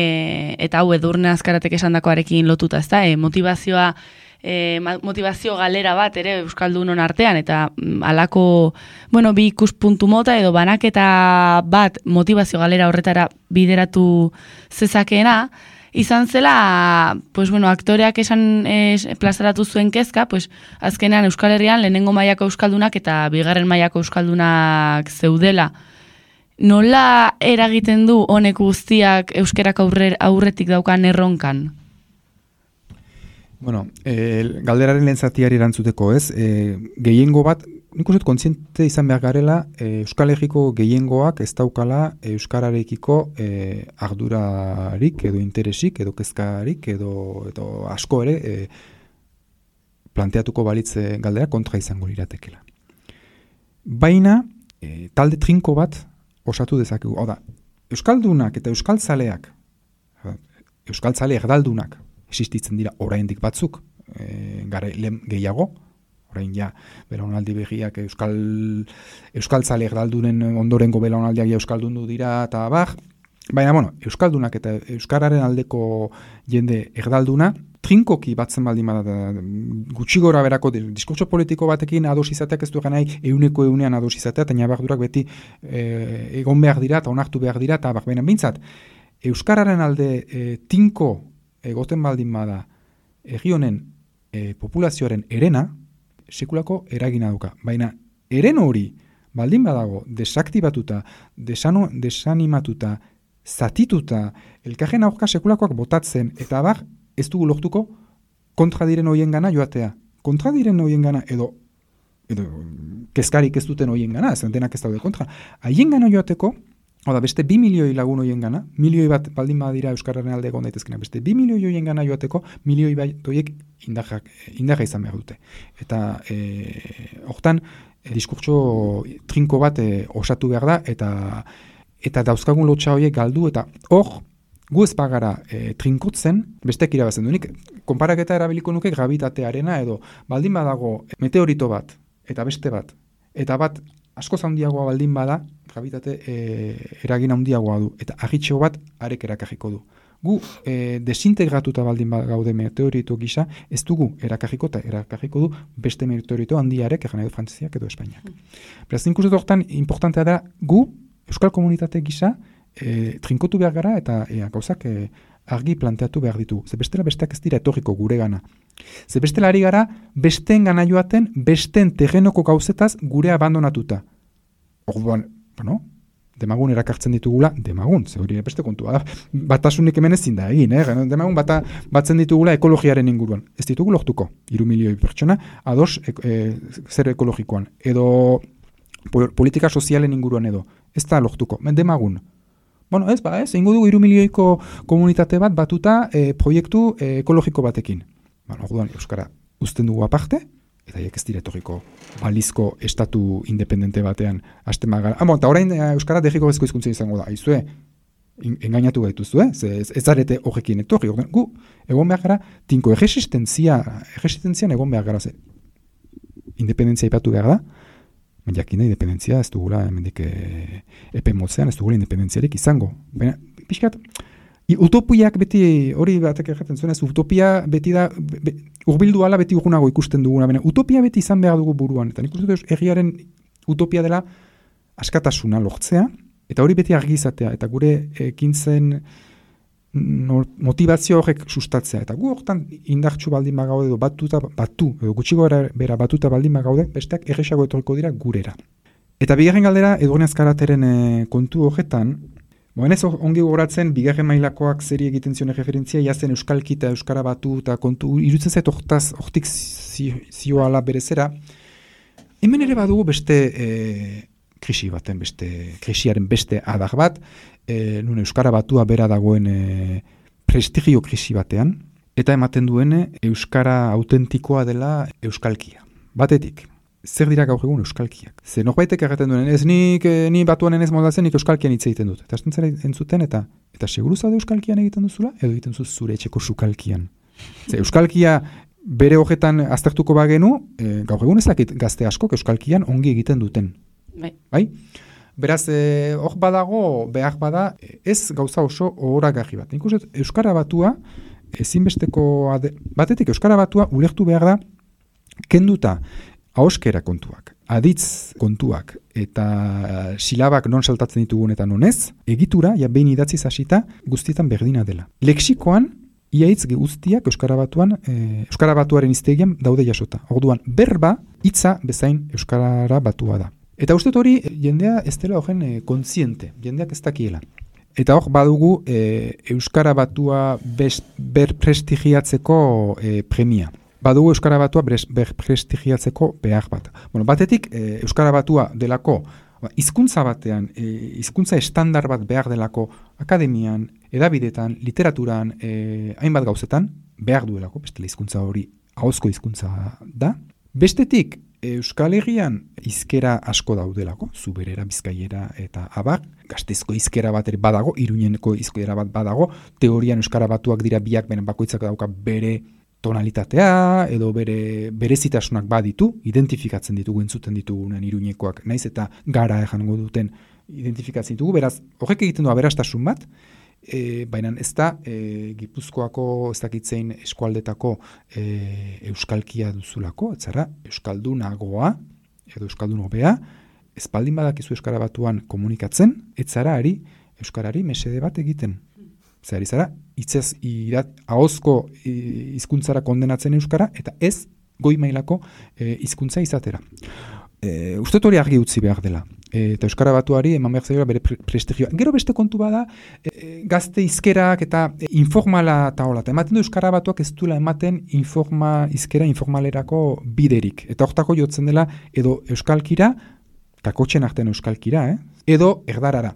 eta hau Edurne Azkaratek esandakoarekin lotuta, ezta, e, motivazioa E, motivazio galera bat ere Euskaldunon artean, eta mm, alako, bueno, bi ikuspuntu mota edo banaketa bat motivazio galera horretara bideratu zezakeena, izan zela, pues bueno, aktoreak esan es, plazaratu zuen kezka, pues azkenean Euskal Herrian lehenengo mailako Euskaldunak eta bigarren mailako Euskaldunak zeudela. Nola eragiten du honek guztiak euskerak aurre, aurretik daukan erronkan? Bueno, e, galderaren lehen zatiari erantzuteko, ez? E, gehiengo bat, nik uste kontziente izan behar garela, e, Euskal Herriko gehiengoak ez daukala euskararekiko e, ardurarik edo interesik edo kezkarik edo, edo asko ere e, planteatuko balitze galdera kontra izango liratekela. Baina, e, talde trinko bat osatu dezakegu. Hau da, Euskaldunak eta Euskaltzaleak, euskaltzale erdaldunak existitzen dira oraindik batzuk, e, gare lehen gehiago, orain ja, belaunaldi begiak euskal, euskaltzale erdaldunen ondorengo belaunaldiak ja euskaldundu dira, eta bar, baina, bueno, euskaldunak eta euskararen aldeko jende erdalduna, trinkoki batzen baldin bada, gutxi gora berako diskurtso politiko batekin ados izateak ez du egan nahi euneko eunean ados izatea, eta nabardurak beti e, egon behar dira, eta onartu behar dira, eta bak, baina bintzat, euskararen alde e, tinko egoten baldin bada egi honen e, populazioaren erena, sekulako eragina duka. Baina, eren hori baldin badago desaktibatuta, desano, desanimatuta, zatituta, elkarren aurka sekulakoak botatzen, eta bar, ez dugu lortuko kontra diren hoien gana joatea. Kontra diren hoien gana, edo, edo kezkarik ez duten hoien gana, ez denak ez daude kontra. Haien gana joateko, oda, beste bi milioi lagun hoien gana, milioi bat baldin badira euskararen alde egon daitezkena, beste bi milioi hoien gana joateko, milioi bat hoiek indarra izan behar dute. Eta e, hortan, e, diskurtso trinko bat e, osatu behar da, eta eta dauzkagun lotxa horiek galdu, eta hor, gu ez bagara e, trinkotzen, bestek irabazen dunik, konparaketa erabiliko nuke gravitatearena, edo baldin badago meteorito bat, eta beste bat, eta bat askoz handiagoa baldin bada, gravitate e, eragin handiagoa du, eta agitxo bat arek erakarriko du. Gu e, desintegratuta baldin gaude meteorito gisa, ez dugu erakarriko, eta erakarriko du beste meteorito handiarek, egan edo Frantziak edo Espainiak. Mm. Beraz, inkurset horretan, importantea da, gu, euskal komunitate gisa, e, trinkotu behar gara, eta e, gauzak e, argi planteatu behar ditu. Ze bestela besteak ez dira etorriko gure gana. Ze bestela ari gara, besteen gana joaten, besteen terrenoko gauzetaz gure abandonatuta. Orduan, bueno, demagun erakartzen ditugula, demagun, ze hori beste kontua da, batasunik hemen ezin da egin, eh? Demagun bata, batzen ditugula ekologiaren inguruan. Ez ditugu lortuko, hiru milioi pertsona, ados e, e, zer ekologikoan, edo politika sozialen inguruan edo, ez da lortuko, demagun. Bueno, ez, ba, ez, ingo dugu hiru milioiko komunitate bat batuta e, proiektu e, ekologiko batekin. Bueno, orduan, euskara uzten dugu aparte, eta hiek ez diretoriko balizko estatu independente batean hasten magara. Ah, bon, eta orain euskara dejiko bezko hizkuntza izango da. Aizue, engainatu gaituzue, ez, ez zarete horrekin etorri. Orduan, gu, egon behar gara, tinko erresistentzia, erresistentzian egon behar gara, ze, independentzia ipatu behar da, jakin da, independentzia ez dugula, hemendik e, epe motzean ez dugula independentziarik izango. Baina, pixkat, utopiak beti, hori batek erraten zuen, ez utopia beti da, be, urbildu ala beti urgunago ikusten duguna, baina utopia beti izan behar dugu buruan, eta nik uste dut egiaren utopia dela askatasuna lortzea, eta hori beti argi izatea, eta gure ekintzen no, motivazio horrek sustatzea, eta gu hortan indartsu baldin bagaude edo batuta, batu, edo gutxiko bera batuta baldin bagaude, besteak erresago etorriko dira gurera. Eta bigarren galdera, Edurne Azkarateren e, kontu horretan, Boen ez ongi goratzen, bigarren mailakoak zeri egiten zion referentzia, jazen euskalki eta euskara batu eta kontu, irutzen zait hortaz, hortik zioala berezera. Hemen ere badugu beste e, krisi baten, beste krisiaren beste adar bat, e, nun euskara batua bera dagoen e, prestigio krisi batean, eta ematen duene euskara autentikoa dela euskalkia. Batetik. Zer dira gaur egun euskalkiak? Ze norbaitek erraten duen, ez nik, ni batuan ez moldatzen, nik euskalkian hitz egiten dut. Eta astentzera entzuten, eta eta seguru zaude euskalkian egiten duzula, edo egiten zuz zure etxeko sukalkian. Ze euskalkia bere horretan aztertuko bagenu, e, gaur egun ezakit gazte askok euskalkian ongi egiten duten. Bai. Bai? Beraz, hor e, badago, behar bada, ez gauza oso ohoragarri bat. Nik uste, euskara batua, ezinbesteko, ade, batetik euskara batua ulertu behar da, kenduta, ahoskera kontuak, aditz kontuak eta silabak non saltatzen ditugun eta non ez, egitura, ja behin idatziz hasita, guztietan berdina dela. Lexikoan, iaitz guztiak Euskara Batuan, e, Euskara Batuaren hiztegian daude jasota. Orduan, berba, hitza bezain Euskara Batua da. Eta uste hori, jendea ez dela horren e, kontziente, jendeak ez dakiela. Eta hor, badugu e, Euskara Batua best, berprestigiatzeko e, premia. Badugu Euskara Batua berprestigiatzeko behar bat. Bueno, batetik, e, Euskara Batua delako, hizkuntza batean, e, hizkuntza estandar bat behar delako akademian, edabidetan, literaturan, e, hainbat gauzetan, behar duelako, bestela hizkuntza hori ahozko hizkuntza da. Bestetik, Euskal Herrian hizkera asko daudelako, Zuberera, Bizkaiera eta abar, Gasteizko hizkera bat ere badago, Iruñeko hizkera bat badago, teorian euskara batuak dira biak, beren bakoitzak dauka bere tonalitatea edo bere berezitasunak baditu, identifikatzen ditugu, entzuten ditugunen Iruñekoak, naiz eta gara ejango duten identifikatzen ditugu, beraz, horrek egiten du aberastasun bat, e, baina ez da e, Gipuzkoako, ez dakitzein eskualdetako e, euskalkia duzulako, etzara, euskaldunagoa edo euskaldun hobea, espaldin badakizu euskara batuan komunikatzen, etzara ari euskarari mesede bat egiten. Zari zara, hitzez irat, ahozko hizkuntzara kondenatzen euskara, eta ez goi mailako e, hizkuntza izatera. E, uste hori argi utzi behar dela. E, eta euskara batuari eman behar zaiola bere pre prestigioa. Gero beste kontu bada, e, gazte hizkerak eta e, informala eta hola. Ematen du euskara batuak ez duela ematen informa, hizkera informalerako biderik. Eta hortako jotzen dela edo euskalkira, kakotxen artean euskalkira, eh? edo erdarara.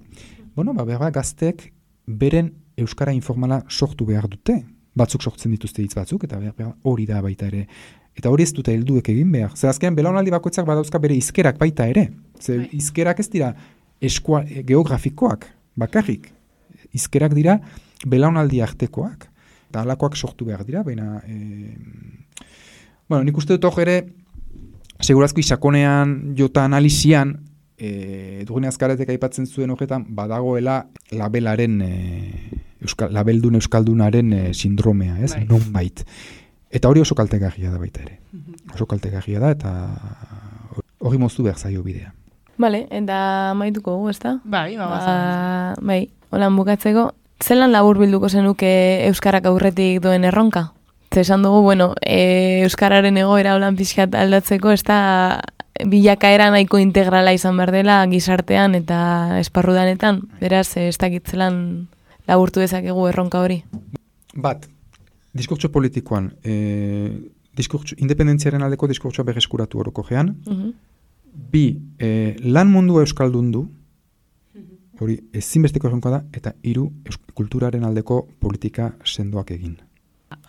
Bueno, ba, behar gazteek beren euskara informala sortu behar dute. Batzuk sortzen dituzte hitz batzuk, eta behar, behar hori da baita ere. Eta hori ez dute helduek egin behar. Zer azkenean, belaunaldi bakoitzak badauzka bere hizkerak baita ere. Zer hizkerak ez dira eskua, geografikoak, bakarrik. Hizkerak dira belaunaldi artekoak. Eta halakoak sortu behar dira, baina... E... Bueno, nik uste dut hor ere, segurazko isakonean, jota analizian, e, Edurne Azkaretek aipatzen zuen horretan, badagoela labelaren... E, Euskal, labeldun euskaldunaren e, sindromea, ez? Bai. Nonbait. Eta hori oso kaltegarria da baita ere. Oso kaltegarria da, eta hori moztu behar zaio bidea. Bale, eta maituko gu, ez da? Bai, ba, ba, bai, holan bukatzeko, zelan labur bilduko zenuke euskarak aurretik duen erronka? Ze esan dugu, bueno, e, euskararen egoera holan pixkat aldatzeko, ez da bilakaera nahiko integrala izan behar dela gizartean eta esparrudanetan, beraz, ez dakitzelan laburtu dezakegu erronka hori. Bat, diskurtso politikoan, e, diskurtso, independentziaren aldeko diskurtsoa berreskuratu orokogean. Uh-huh. Bi, e, lan mundua euskaldun du, hori ezinbesteko erronka da, eta hiru, kulturaren aldeko politika sendoak egin.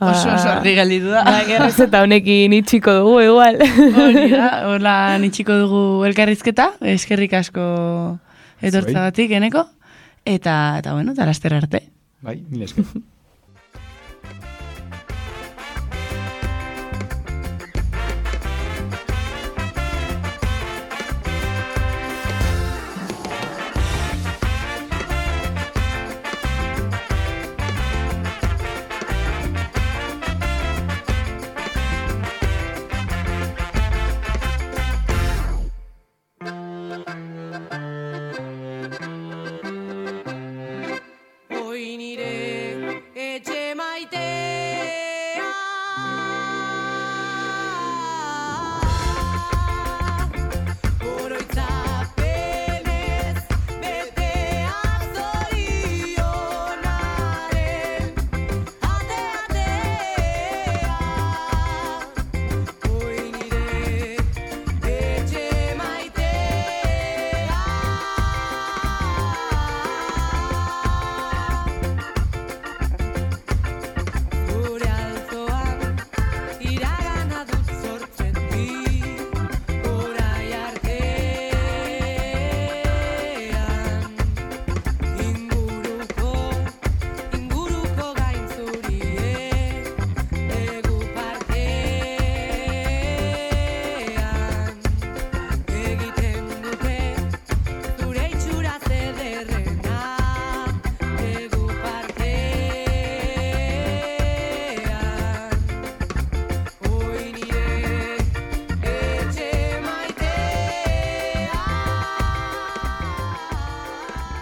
Oso, oso argi galditu da. Ba, gerrez eta honekin itxiko dugu, igual. Hori da, hola itxiko dugu elkarrizketa, eskerrik asko etortzagatik, eneko. Eta, eta bueno, eta laster arte. Bai, mila esker.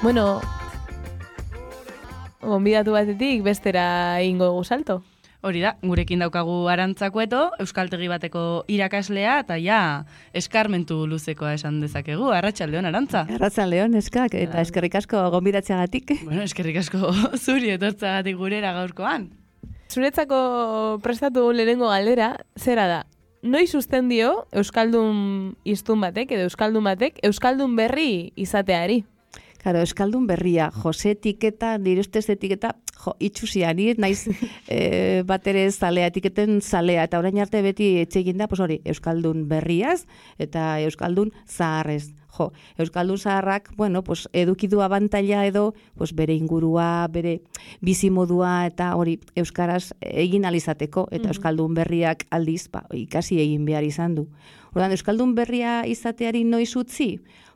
Bueno, gonbidatu batetik bestera ingo dugu salto. Hori da, gurekin daukagu Arantzakueto, euskaltegi bateko irakaslea, eta ja, eskarmentu luzekoa esan dezakegu. Arratsaldeon, Arantza. Arratsaldeon, eskak, eta eskerrik asko gonbidatzeagatik. Bueno, eskerrik asko zuri etortzagatik gurera gaurkoan. Zuretzako prestatu lehenengo galdera, zera da? Noiz uzten dio euskaldun hiztun batek edo euskaldun batek euskaldun berri izateari? Claro, euskaldun berria, Jose etiketa, nire ustez etiketa, jo, itxusia, nire naiz e, bat ere zalea, etiketen zalea, eta orain arte beti etxegin da, pues hori, euskaldun berriaz, eta euskaldun zaharrez. Jo, euskaldun zaharrak, bueno, pues edukidu abantaila edo, pues bere ingurua, bere bizimodua, eta hori euskaraz egin alizateko, eta euskaldun berriak aldiz, ba, ikasi egin behar izan du. Ordan euskaldun berria izateari noiz utzi?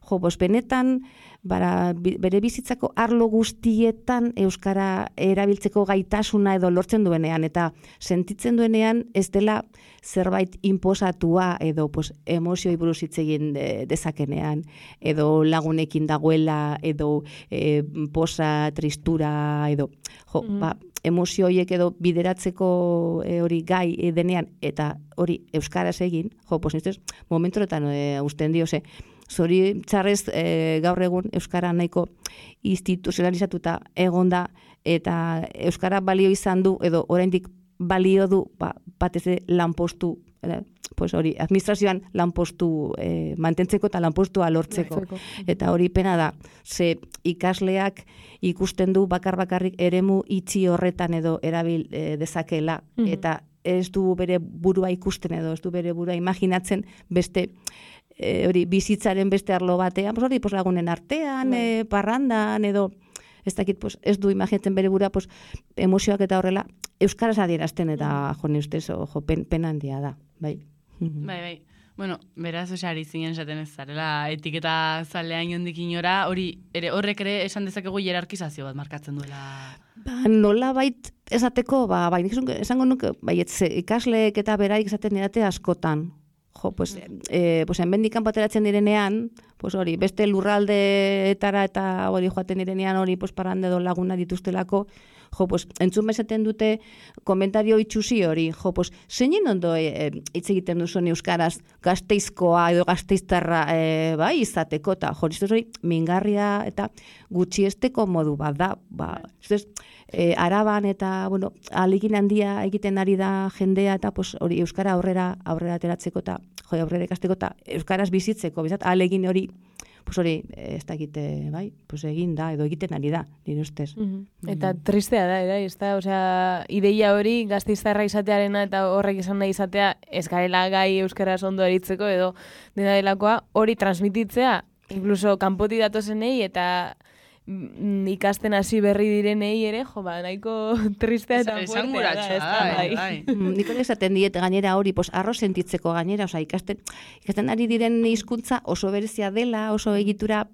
Jo, pues benetan, bara, bere bizitzako arlo guztietan euskara erabiltzeko gaitasuna edo lortzen duenean, eta sentitzen duenean ez dela zerbait inposatua edo pues, emozioi buruz hitz egin de, dezakenean, edo lagunekin dagoela, edo e, posa, tristura, edo jo, mm. ba, emozioiek edo bideratzeko e, hori gai e, denean, eta hori euskaraz egin, jo, pues niztez, momentoretan e, usten dio, ze, zori txarrez e, gaur egun euskara nahiko instituzionalizatuta egonda, eta euskara balio izan du, edo oraindik balio du, ba, batez lanpostu, eh, pues hori, administrazioan lanpostu eh, mantentzeko eta lanpostua lortzeko. Eta hori pena da, ze ikasleak ikusten du bakar bakarrik eremu itxi horretan edo erabil eh, dezakela, mm-hmm. eta ez du bere burua ikusten edo ez du bere burua imaginatzen beste e, hori bizitzaren beste arlo batean, pues hori, pues lagunen artean, e, parrandan edo ez dakit, pues, ez du imaginatzen bere burua, pues, emozioak eta horrela euskaraz adierazten eta jo, ni ustez, jo, pen, pena handia da, bai. Bai, bai. Bueno, beraz, osari zinen esaten ez zarela, etiketa zalea inondik inora, hori, ere, horrek ere esan dezakegu hierarkizazio bat markatzen duela. Ba, nola bait esateko, ba, bai, esango nuke, bai, ikasleek eta beraik esaten edate askotan. Jo, pues, eh, pues, enbendikan pateratzen direnean, pues hori, beste lurraldeetara eta hori joaten direnean hori, pues, parrande edo laguna dituztelako, jo, pues, entzun bezaten dute komentario itxusi hori, jo, pues, zeinen ondo e, hitz egiten duzuen euskaraz Gasteizkoa edo Gasteiztarra e, bai, izateko, eta jo, ez hori, mingarria eta gutxiesteko modu bat da, ba, ez e, Araban eta, bueno, ahalegin handia egiten ari da jendea, eta pues, hori euskara aurrera, aurrera ateratzeko, eta jo, aurrera ikasteko, eta euskaraz bizitzeko, bizat, ahalegin hori, pues hori, ez da egite, bai, pues egin da, edo egiten ari da, nire ustez. Mm-hmm. Eta tristea da, era, ez da, osea, ideia hori Gasteiztarra izatearena eta horrek izan nahi izatea, ez garela gai euskaraz ondo eritzeko, edo dena delakoa, hori transmititzea, incluso kanpoti datozenei, eta ikasten hasi berri direnei ere, jo, ba, nahiko tristea eta fuertea da, ez da, bai. Niko esaten diet gainera hori, pues, arro sentitzeko gainera, oza, ikasten, ikasten ari diren hizkuntza oso berezia dela, oso egitura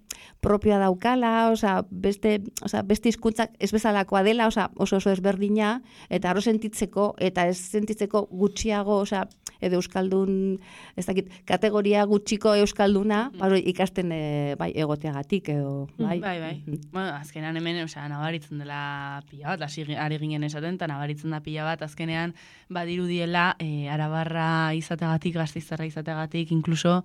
propioa daukala, oza, beste, oza, beste hizkuntzak ez bezalakoa dela, oza, oso oso ezberdina, eta arro sentitzeko, eta ez sentitzeko gutxiago, oza, edo euskaldun, ez dakit, kategoria gutxiko euskalduna, mm. baro, ikasten e, bai, egoteagatik, edo, bai. Bai, bai. Bueno, azkenean hemen, osea, nabaritzen dela pila bat, hasi ari ginen esaten, eta nabaritzen da pila bat, azkenean badirudiela e, arabarra izateagatik, gasteiztarra izateagatik, inkluso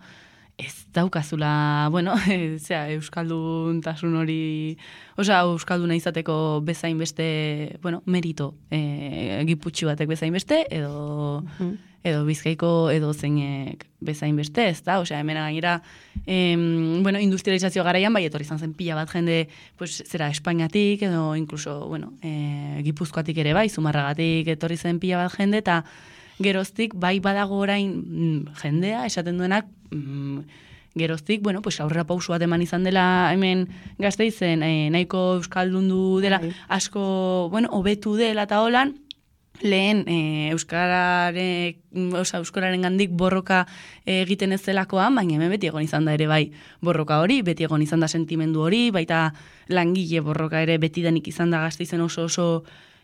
ez daukazula, bueno, e, zera, euskaldun tasun hori, osea, euskalduna izateko bezain beste, bueno, merito, e, giputxi batek bezain beste, edo... Mm. edo bizkaiko edo zeinek bezain beste, ez da? Osea, hemen gainera, em, bueno, industrializazio garaian, bai, etorri izan zen pila bat jende, pues, zera, Espainiatik, edo, incluso, bueno, e, Gipuzkoatik ere bai, Zumarragatik etorri zen pila bat jende, eta geroztik, bai badago orain mm, jendea, esaten duenak, mm, geroztik, bueno, pues aurrera pausu bat eman izan dela hemen Gasteizen, e, nahiko euskaldundu dela, asko, bueno, hobetu dela eta holan, lehen e, euskarare, oza, euskararen gandik borroka e, egiten ez zelakoan, baina hemen beti egon izan da ere bai borroka hori, beti egon izan da sentimendu hori, baita langile borroka ere beti denik izan da Gasteizen oso oso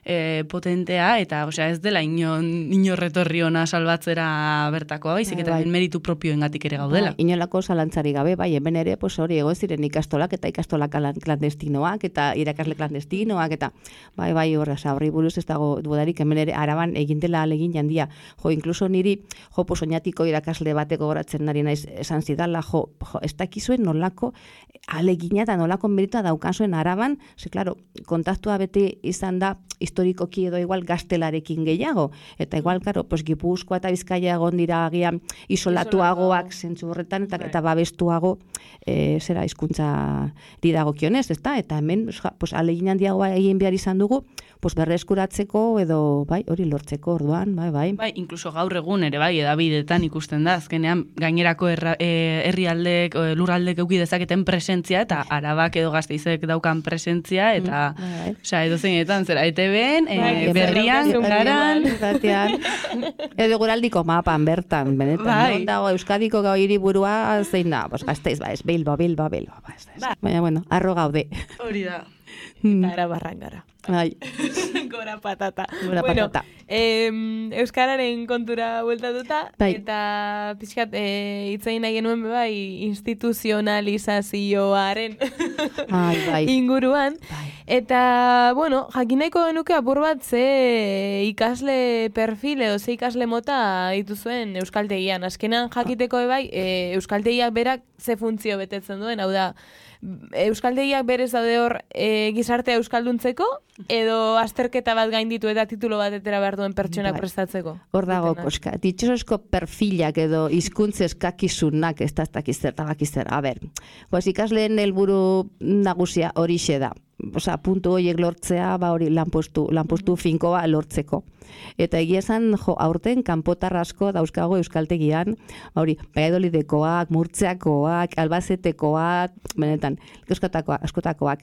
e, potentea, eta osea, ez dela inon, inorretorri ona salbatzera bertakoa, baizik eta bai. Meritu propioengatik ere gaudela. Bai, inolako zalantzari gabe, bai, hemen ere, pues hori egon ziren ikastolak eta ikastolak klandestinoak eta irakasle klandestinoak eta bai, bai, horra, horri buruz ez dago dudarik, hemen ere Araban egin dela alegin jandia. Jo, inkluso niri, jo, pues oinatiko irakasle bateko goratzen nari naiz esan zidala, jo, jo ez dakizuen nolako alegina eta nolako meritua daukan zuen Araban, ze, klaro, kontaktua beti izan da historikoki edo igual gaztelarekin gehiago. Eta igual, karo, pues, Gipuzkoa eta Bizkaia egon dira agian isolatuagoak zentzu horretan, eta, eta babestuago e, zera hizkuntza didagokionez, ezta? Eta hemen, pues, alegin handiagoa egin behar izan dugu, pues, berreskuratzeko edo bai, hori lortzeko orduan, bai, bai. Bai, inkluso gaur egun ere bai, edabidetan ikusten da, azkenean gainerako erra, e, herrialdek, e, lurraldek euki dezaketen presentzia, eta Arabak edo Gasteizek daukan presentzia, eta, Mm, bai, bai. osea, edo zeinetan, zera, E T B-en, e, Bai, berrian, bai, garan, Batean, edo guraldiko mapan bertan, benetan, Bai. non dago Euskadiko gau hiriburua zein da, pues, Gasteiz, ba, ez, Bilbo, Bilbo, Bilbo, ba, ez, ez. Ba. Baina, bueno, arro gaude. hori da. Eta era barrangara. Bai, Gora patata. Gora bueno, patata. em, Euskararen kontura bueltatuta, Bai. eta pixkat e, hitzein nahi genuen be bai instituzionalizazioaren Ai, bai. inguruan. Bai. Eta, bueno, jakin nahiko genuke apur bat ze ikasle perfil edo ze ikasle mota dituzuen euskaltegian. Azkenan jakiteko be bai, e, euskaltegiak berak ze funtzio betetzen duen, hau da, euskaltegiak berez daude hor e, gizartea euskalduntzeko, edo azterketa bat gainditu eta titulo bat etera behar duen pertsonak Bai. prestatzeko. Hor dago, Dutenak. koska, ditxosozko perfilak edo hizkuntza eskakizunak, ez da ez dakiz zer, eta bakiz zer. A ber, pues ikasleen helburu nagusia horixe da. Osea, puntu horiek lortzea, ba hori lanpostu, lanpostu finkoa lortzeko. Eta egia esan, jo, aurten kanpotar asko dauzkago euskaltegian, ba hori, Valladolidekoak, Murtziakoak, Albazetekoak, benetan, askotakoak, askotakoak.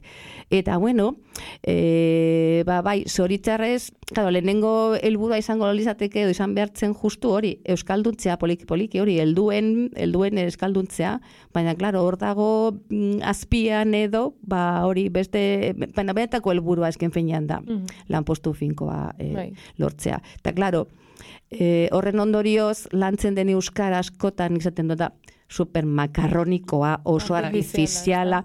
Eta bueno, e, ba bai, zoritzarrez, claro, lehenengo helburua izango lizateke edo izan behartzen justu hori, euskalduntzea poliki poliki hori, helduen, helduen euskalduntzea, baina claro, hor dago mm, azpian edo, ba hori beste, baina benetako helburua esken finean da, Mhm. lanpostu finkoa e, Bai. lortzea. Eta claro, e, horren ondorioz lantzen den euskara askotan izaten dut da super makarronikoa, oso artifiziala,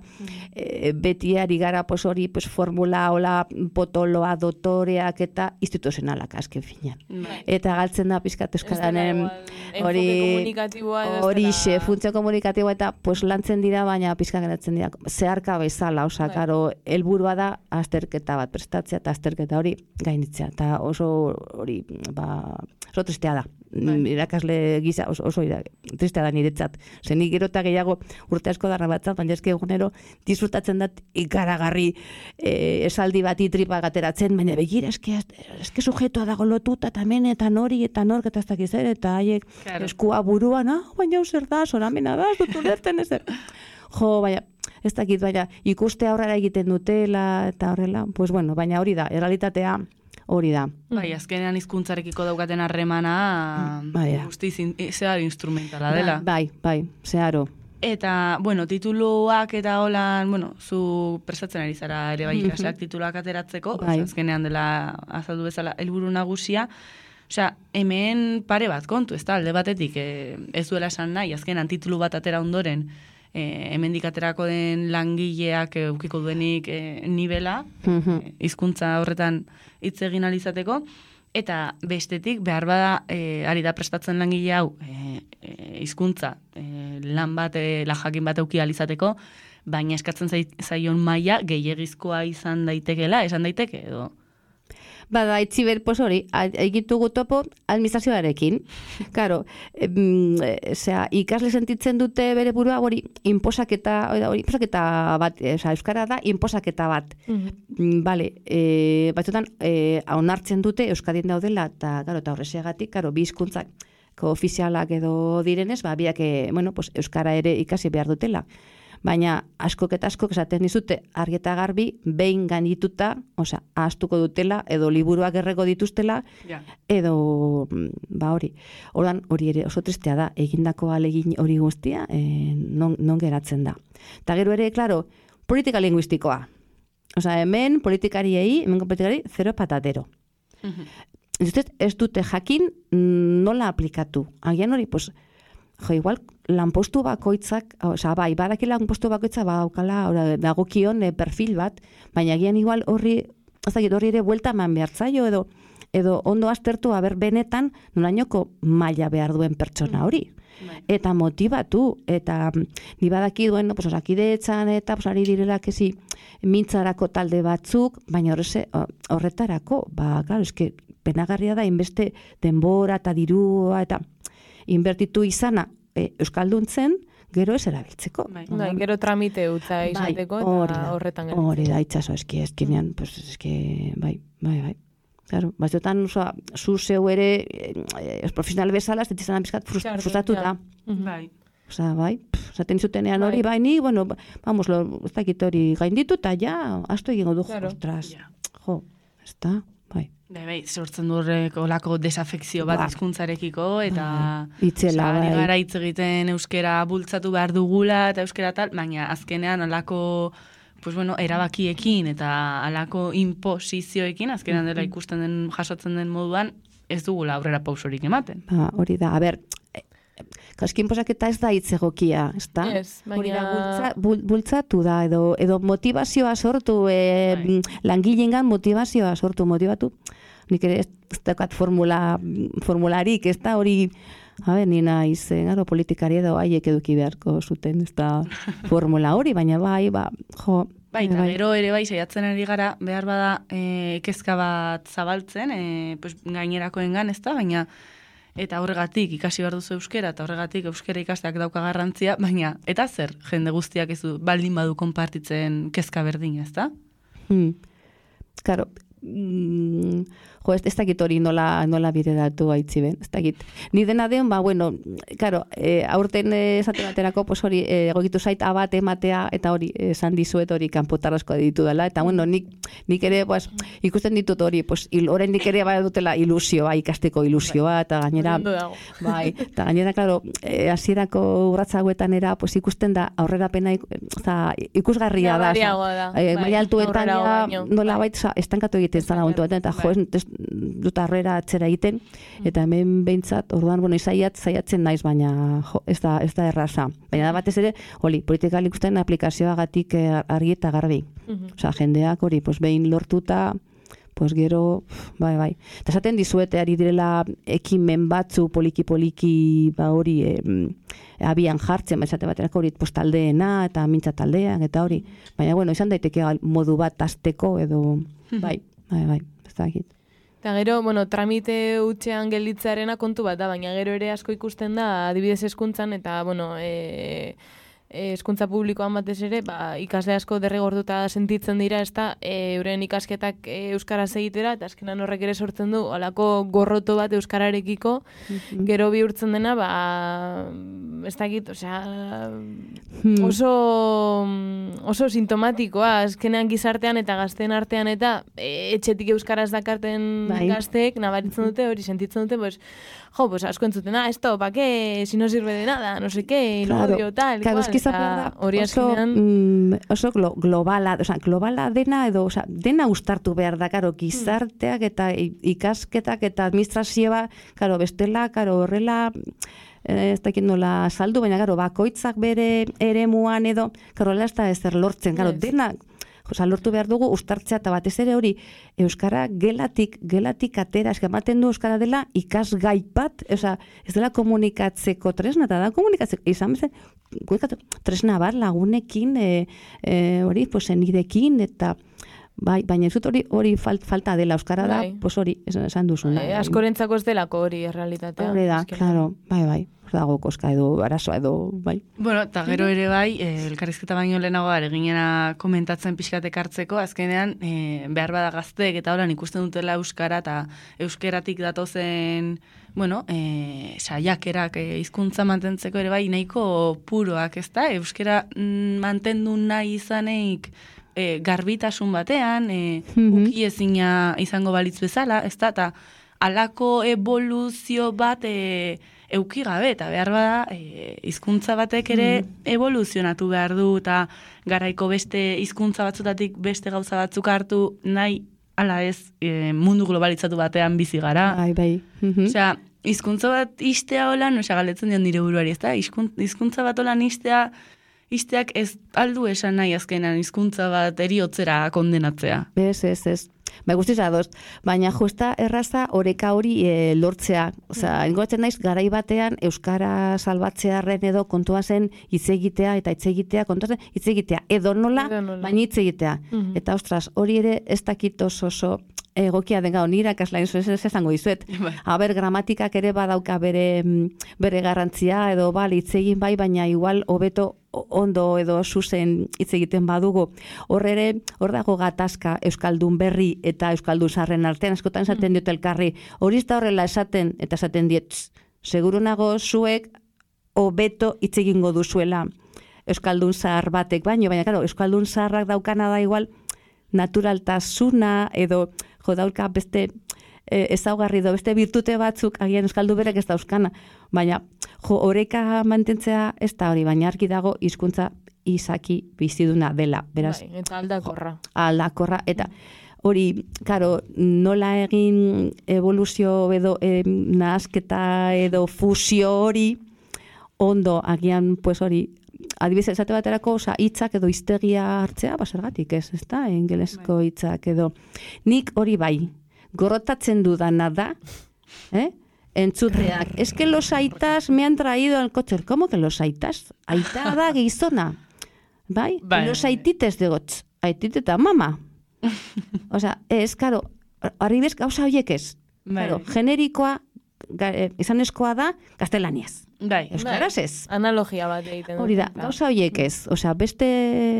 e, beti ari gara pues hori pues formula, hola, potoloa, dotoreak eta instituzionalak azken finean. Bai. Eta galtzen da pizkat euskaranen Enfoke hori komunikatiboa edo ez horixe, dela- funtzio komunikatiboa eta pues lantzen dira, baina pizka geratzen dira zeharka bezala, osea, Bai. karo, helburua da azterketa bat prestatzea eta azterketa hori gainditzea. Eta oso hori, ba, oso tristea da. Bai. Irakasle gisa oso, oso ira, tristea da niretzat. Ze nik gero eta gehiago urte asko darra batzat, baina eske egunero disfrutatzen dat ikaragarri e, esaldi bati tripa gateratzen, baina begira, eske, eske sujetoa dago lotuta, eta hemen, eta nori, eta nork, eta ez dakiz ere, eta haiek Claro. eskua buruan, ah, baina hau zer da, zoramena da, ez dut ulertzen ezer. Jo, baina, ez dakit, baina ikuste aurrera egiten dutela, eta horrela, pues bueno, baina hori da, errealitatea hori da. Bai, azkenean hizkuntzarekiko daukaten harremana Bai, da. guztiz in, zehar instrumentala dela. Bai, bai, zeharo. Eta, bueno, tituluak eta holan, bueno, zu prestatzen ari zara ere bai ikasleak tituluak ateratzeko, Bai. osea, azkenean dela azaldu bezala helburu nagusia. Osea, hemen pare bat kontu, ez da, alde batetik e, ez duela esan nahi, azkenan titulu bat atera ondoren, e, hemendik aterako den langileak e, ukiko duenik e, nibela, Mhm. e, hizkuntza horretan hitz egin ahal izateko, eta bestetik behar bada e, ari da prestatzen langile hau e, e, hizkuntza e, lan bat, e, lan jakin bat euki ahal izateko, baina eskatzen zai- zaion maila gehiegizkoa izan daitekela, esan daiteke edo. Bada, itziber, pues hori, egitugu topo administrazioarekin. Karo, em, e, zera, ikasle sentitzen dute bere burua hori inposaketa, hori, hori inposaketa bat, e, osea, euskara da inposaketa bat. Mhm. Mm, Bale, e, batzutan, e, onartzen dute Euskadin daudela, eta, karo, eta horrezegatik, karo, bi hizkuntzak ofizialak edo direnez, ba, biak, e, bueno, pues, euskara ere ikasi behar dutela. Baina askok eta askok esaten dizute argi eta garbi behin gaindituta, osea, ahaztuko dutela edo liburuak erreko dituztela Ja. edo mm, ba hori. Ordan hori ere oso tristea da, egindako alegin hori guztia, e, non, non geratzen da. Eta gero ere, claro, politika linguistikoa. Osea, hemen politikariei, hemen politikari zero patatero. Ez dut, ez dute jakin mm, nola aplikatu. Agian hori, pues, jo, igual, lanpostu bakoitzak, osea, bai, badaki lanpostu bakoitzak badaukala, ora, dagokion e, perfil bat, baina agian igual horri, ez dakit, horri ere buelta eman behar zaio, edo, edo ondo aztertu, aber benetan, nolainoko maila behar duen pertsona hori. eta motivatu, eta ni badaki duen, pues, osakidetzan eta pues, ari direla kezi mintzarako talde batzuk, baina horreze, horretarako, ba, claro, eske penagarria da, inbeste denbora eta dirua, eta inbertitu izana e, euskalduntzen, gero ez erabiltzeko. Bai, bai, gero tramite utza izateko bai, eta horretan gero. Hori da, itxaso, eski, eskinean, pues, eski, bai, bai, bai. Claro, batzuetan, oza, zu zeu ere, eh, profesional bezala, ez ditizan bizkat frustratuta. Bai. Osa, bai, zaten zutenean hori, bai, ni, bueno, vamos, lo, ez dakit hori gainditu, eta ja, astu egingo du, claro. Ostras, jo, ez da, bai. Bai, bai, sortzen du horrek olako desafekzio bat Ba. hizkuntzarekiko eta Itzela, osea, ari bai. gara hitz egiten euskera bultzatu behar dugula eta euskera tal, baina azkenean olako pues bueno, erabakiekin eta alako imposizioekin, azkenean dela ikusten den, jasotzen den moduan, ez dugula aurrera pausorik ematen. Ba, hori da, a ber, kaskin posaketa ez da hitz egokia, ez da? Ez, baina... Hori da, bultza, bul, bultzatu da, edo, edo motivazioa sortu, e, Bai. langileengan motivazioa sortu, motivatu. Nik ere ez ez daukat formula, formularik, ez da hori, a ber, ni naiz, eh, gero politikari edo haiek eduki beharko zuten, ez da formula hori, baina bai, ba, jo, Bai, eta gero ere bai, saiatzen ari gara, behar bada e, kezka bat zabaltzen, e, pues, gainerakoengan, ez da, baina eta horregatik ikasi behar duzu euskera, eta horregatik euskera ikasteak dauka garrantzia, baina, eta zer, jende guztiak ez du, baldin badu konpartitzen kezka berdina, ez da? Hmm. Claro, mm, jo, ez, ez dakit hori nola, nola bideratu haitzi ben, ez dakit. Ni dena den, ba, bueno, claro, e, aurten esate baterako, pues hori, e, egokitu zait abat ematea, eta hori, esan dizuet hori kanpotarrazkoa ditu dela, eta bueno, nik, nik ere, pues, ikusten ditut hori, pues, il, oraindik ere bai dutela ilusioa, ikasteko ilusioa, eta gainera, bai, eta gainera, claro, e, hasierako urratsa hauetan era, pues, ikusten da, aurrerapena, oza, ikusgarria da, da. E, Bai, maila altuetan, aurrera ja, baino. nola baita, estankatu egiten zara momentu batean, eta jo, ez dut arrera atzera egiten, eta hemen behintzat, orduan, bueno, izaiat, zaiatzen naiz, baina jo, ez da, ez da erraza. Baina da batez ere, hori, politikal ikusten aplikazioagatik eh, argi eta garbi. Osea, jendeak hori, pues, behin lortuta, pues gero, bai, bai. Eta esaten dizuete, ari direla ekimen batzu poliki-poliki, ba hori, eh, abian jartzen, esate baterako hori, pues, taldeena, eta mintza taldean, eta hori. Baina, bueno, izan daiteke modu bat azteko, edo, bai, bai, bai, ez dakit. Eta gero, bueno, tramite hutsean gelditzearena kontu bat da, baina gero ere asko ikusten da, adibidez hezkuntzan, eta, bueno, e, hezkuntza publikoan batez ere, ba, ikasle asko derrigortuta sentitzen dira, ez da, e, euren ikasketak e, euskaraz egitera, eta azkenan horrek ere sortzen du, halako gorroto bat euskararekiko, gero bihurtzen dena, ba, ez dakit, osea, oso, oso sintomatikoa, azkenean gizartean eta gazteen artean, eta e, etxetik euskaraz dakarten Bai. gazteek, nabaritzen dute, hori sentitzen dute, pues, jo, pues asko entzuten, ah, esto, pa qué, si no sirve de nada, no sé qué, lo Claro, odio, tal, claro, cual, es que izan eta behar da, hori oso, azkenean, mm, oso glo, globala, oza, globala dena edo, oza, dena ustartu behar da, karo, gizarteak eta i- ikasketak eta administrazioa, karo, bestela, karo, horrela, eh, ez dakit nola saldu, baina, karo, bakoitzak bere eremuan edo, karo, ez da ezer lortzen, karo, Ez. dena, Osa, lortu behar dugu ustartzea eta batez ere hori euskara gelatik, gelatik atera, eska ematen du euskara dela ikasgai bat, osa, ez dela komunikatzeko tresna, eta da komunikatzeko, izan bezen, komunikatzeko tresna bat lagunekin, e, e, hori, pues, nirekin, eta bai, baina ez dut hori, hori falt, falta dela euskara da, Bai. pues hori, esan, esan duzuna. e, askorentzako ez delako hori errealitatea. Hori da, azkenean. claro, bai, bai, hor dago koska edo, arazoa edo, bai. Bueno, eta gero ere bai, eh, elkarrizketa baino lehenago eginena komentatzen pixkatek hartzeko, azkenean eh, behar bada gazteek eta horan ikusten dutela euskara eta euskeratik datozen, bueno, eh, saiakerak eh, hizkuntza mantentzeko ere bai nahiko puroak, ez da? Euskera mm, mantendu nahi izaneik e, garbitasun batean, e, Mhm. uki ezina izango balitz bezala, ez da, eta alako evoluzio bat e, euki gabe, eta behar bada, e, hizkuntza batek ere evoluzionatu behar du, eta garaiko beste hizkuntza batzutatik beste gauza batzuk hartu nahi, ala ez, e, mundu globalitzatu batean bizi gara. Bai, bai. Mhm. Osea, hizkuntza bat istea holan, osea, galetzen dion nire buruari, ez da? Hizkuntza bat holan istea, isteak ez aldu esan nahi azkenan hizkuntza bat eriotzera kondenatzea. Ez, ez, ez. Bai, guztiz adoz, baina justa erraza oreka hori e, lortzea. Osea, ingoratzen naiz garai batean euskara salbatzearren edo kontua zen hitz egitea eta hitz egitea, kontua zen hitz egitea edo nola, Edo nola. baina hitz egitea. Mhm. Eta ostras, hori ere ez dakit oso oso egokia den gau, nire akaslain ez esango dizuet. Bai. Aber, gramatikak ere badauka bere mm, bere garrantzia edo bal hitz egin bai, baina igual hobeto ondo edo zuzen hitz egiten badugu. Hor ere, hor dago gatazka euskaldun berri eta euskaldun zaharren artean, askotan esaten diote elkarri. Hori ez da horrela esaten, eta esaten diet, "Tss, seguru nago zuek hobeto hitz egingo duzuela euskaldun zahar batek baino, baina claro, euskaldun zaharrak daukana da igual naturaltasuna edo jo dauka beste e, ezaugarri edo beste virtute batzuk agian euskaldu berek ez dauzkana, baina jo oreka mantentzea ez da hori, baina argi dago hizkuntza izaki biziduna dela, beraz Bai, eta aldakorra. aldakorra, eta hori, karo, nola egin evoluzio edo e, nahasketa edo fusio hori, ondo, agian, pues hori, adibidez, esate baterako, oza, hitzak edo hiztegia hartzea, basergatik ez, ez da, engelesko hitzak edo. Nik hori bai, gorrotatzen dudana da, eh? Entzuteak, es que los aitas me han traído al coche, ¿cómo que los aitas? Aita da gizona, bai? Bai. Los aitites de gotz, aititeta mama. Osea, ez, karo, arribez gauza horiek ez. Bai. Claro, generikoa, ga, eh, izanezkoa da, gaztelaniaz. Bai. Euskaraz ez. Analogia bat egiten Hori da, dute. gauza horiek ez. Osea, beste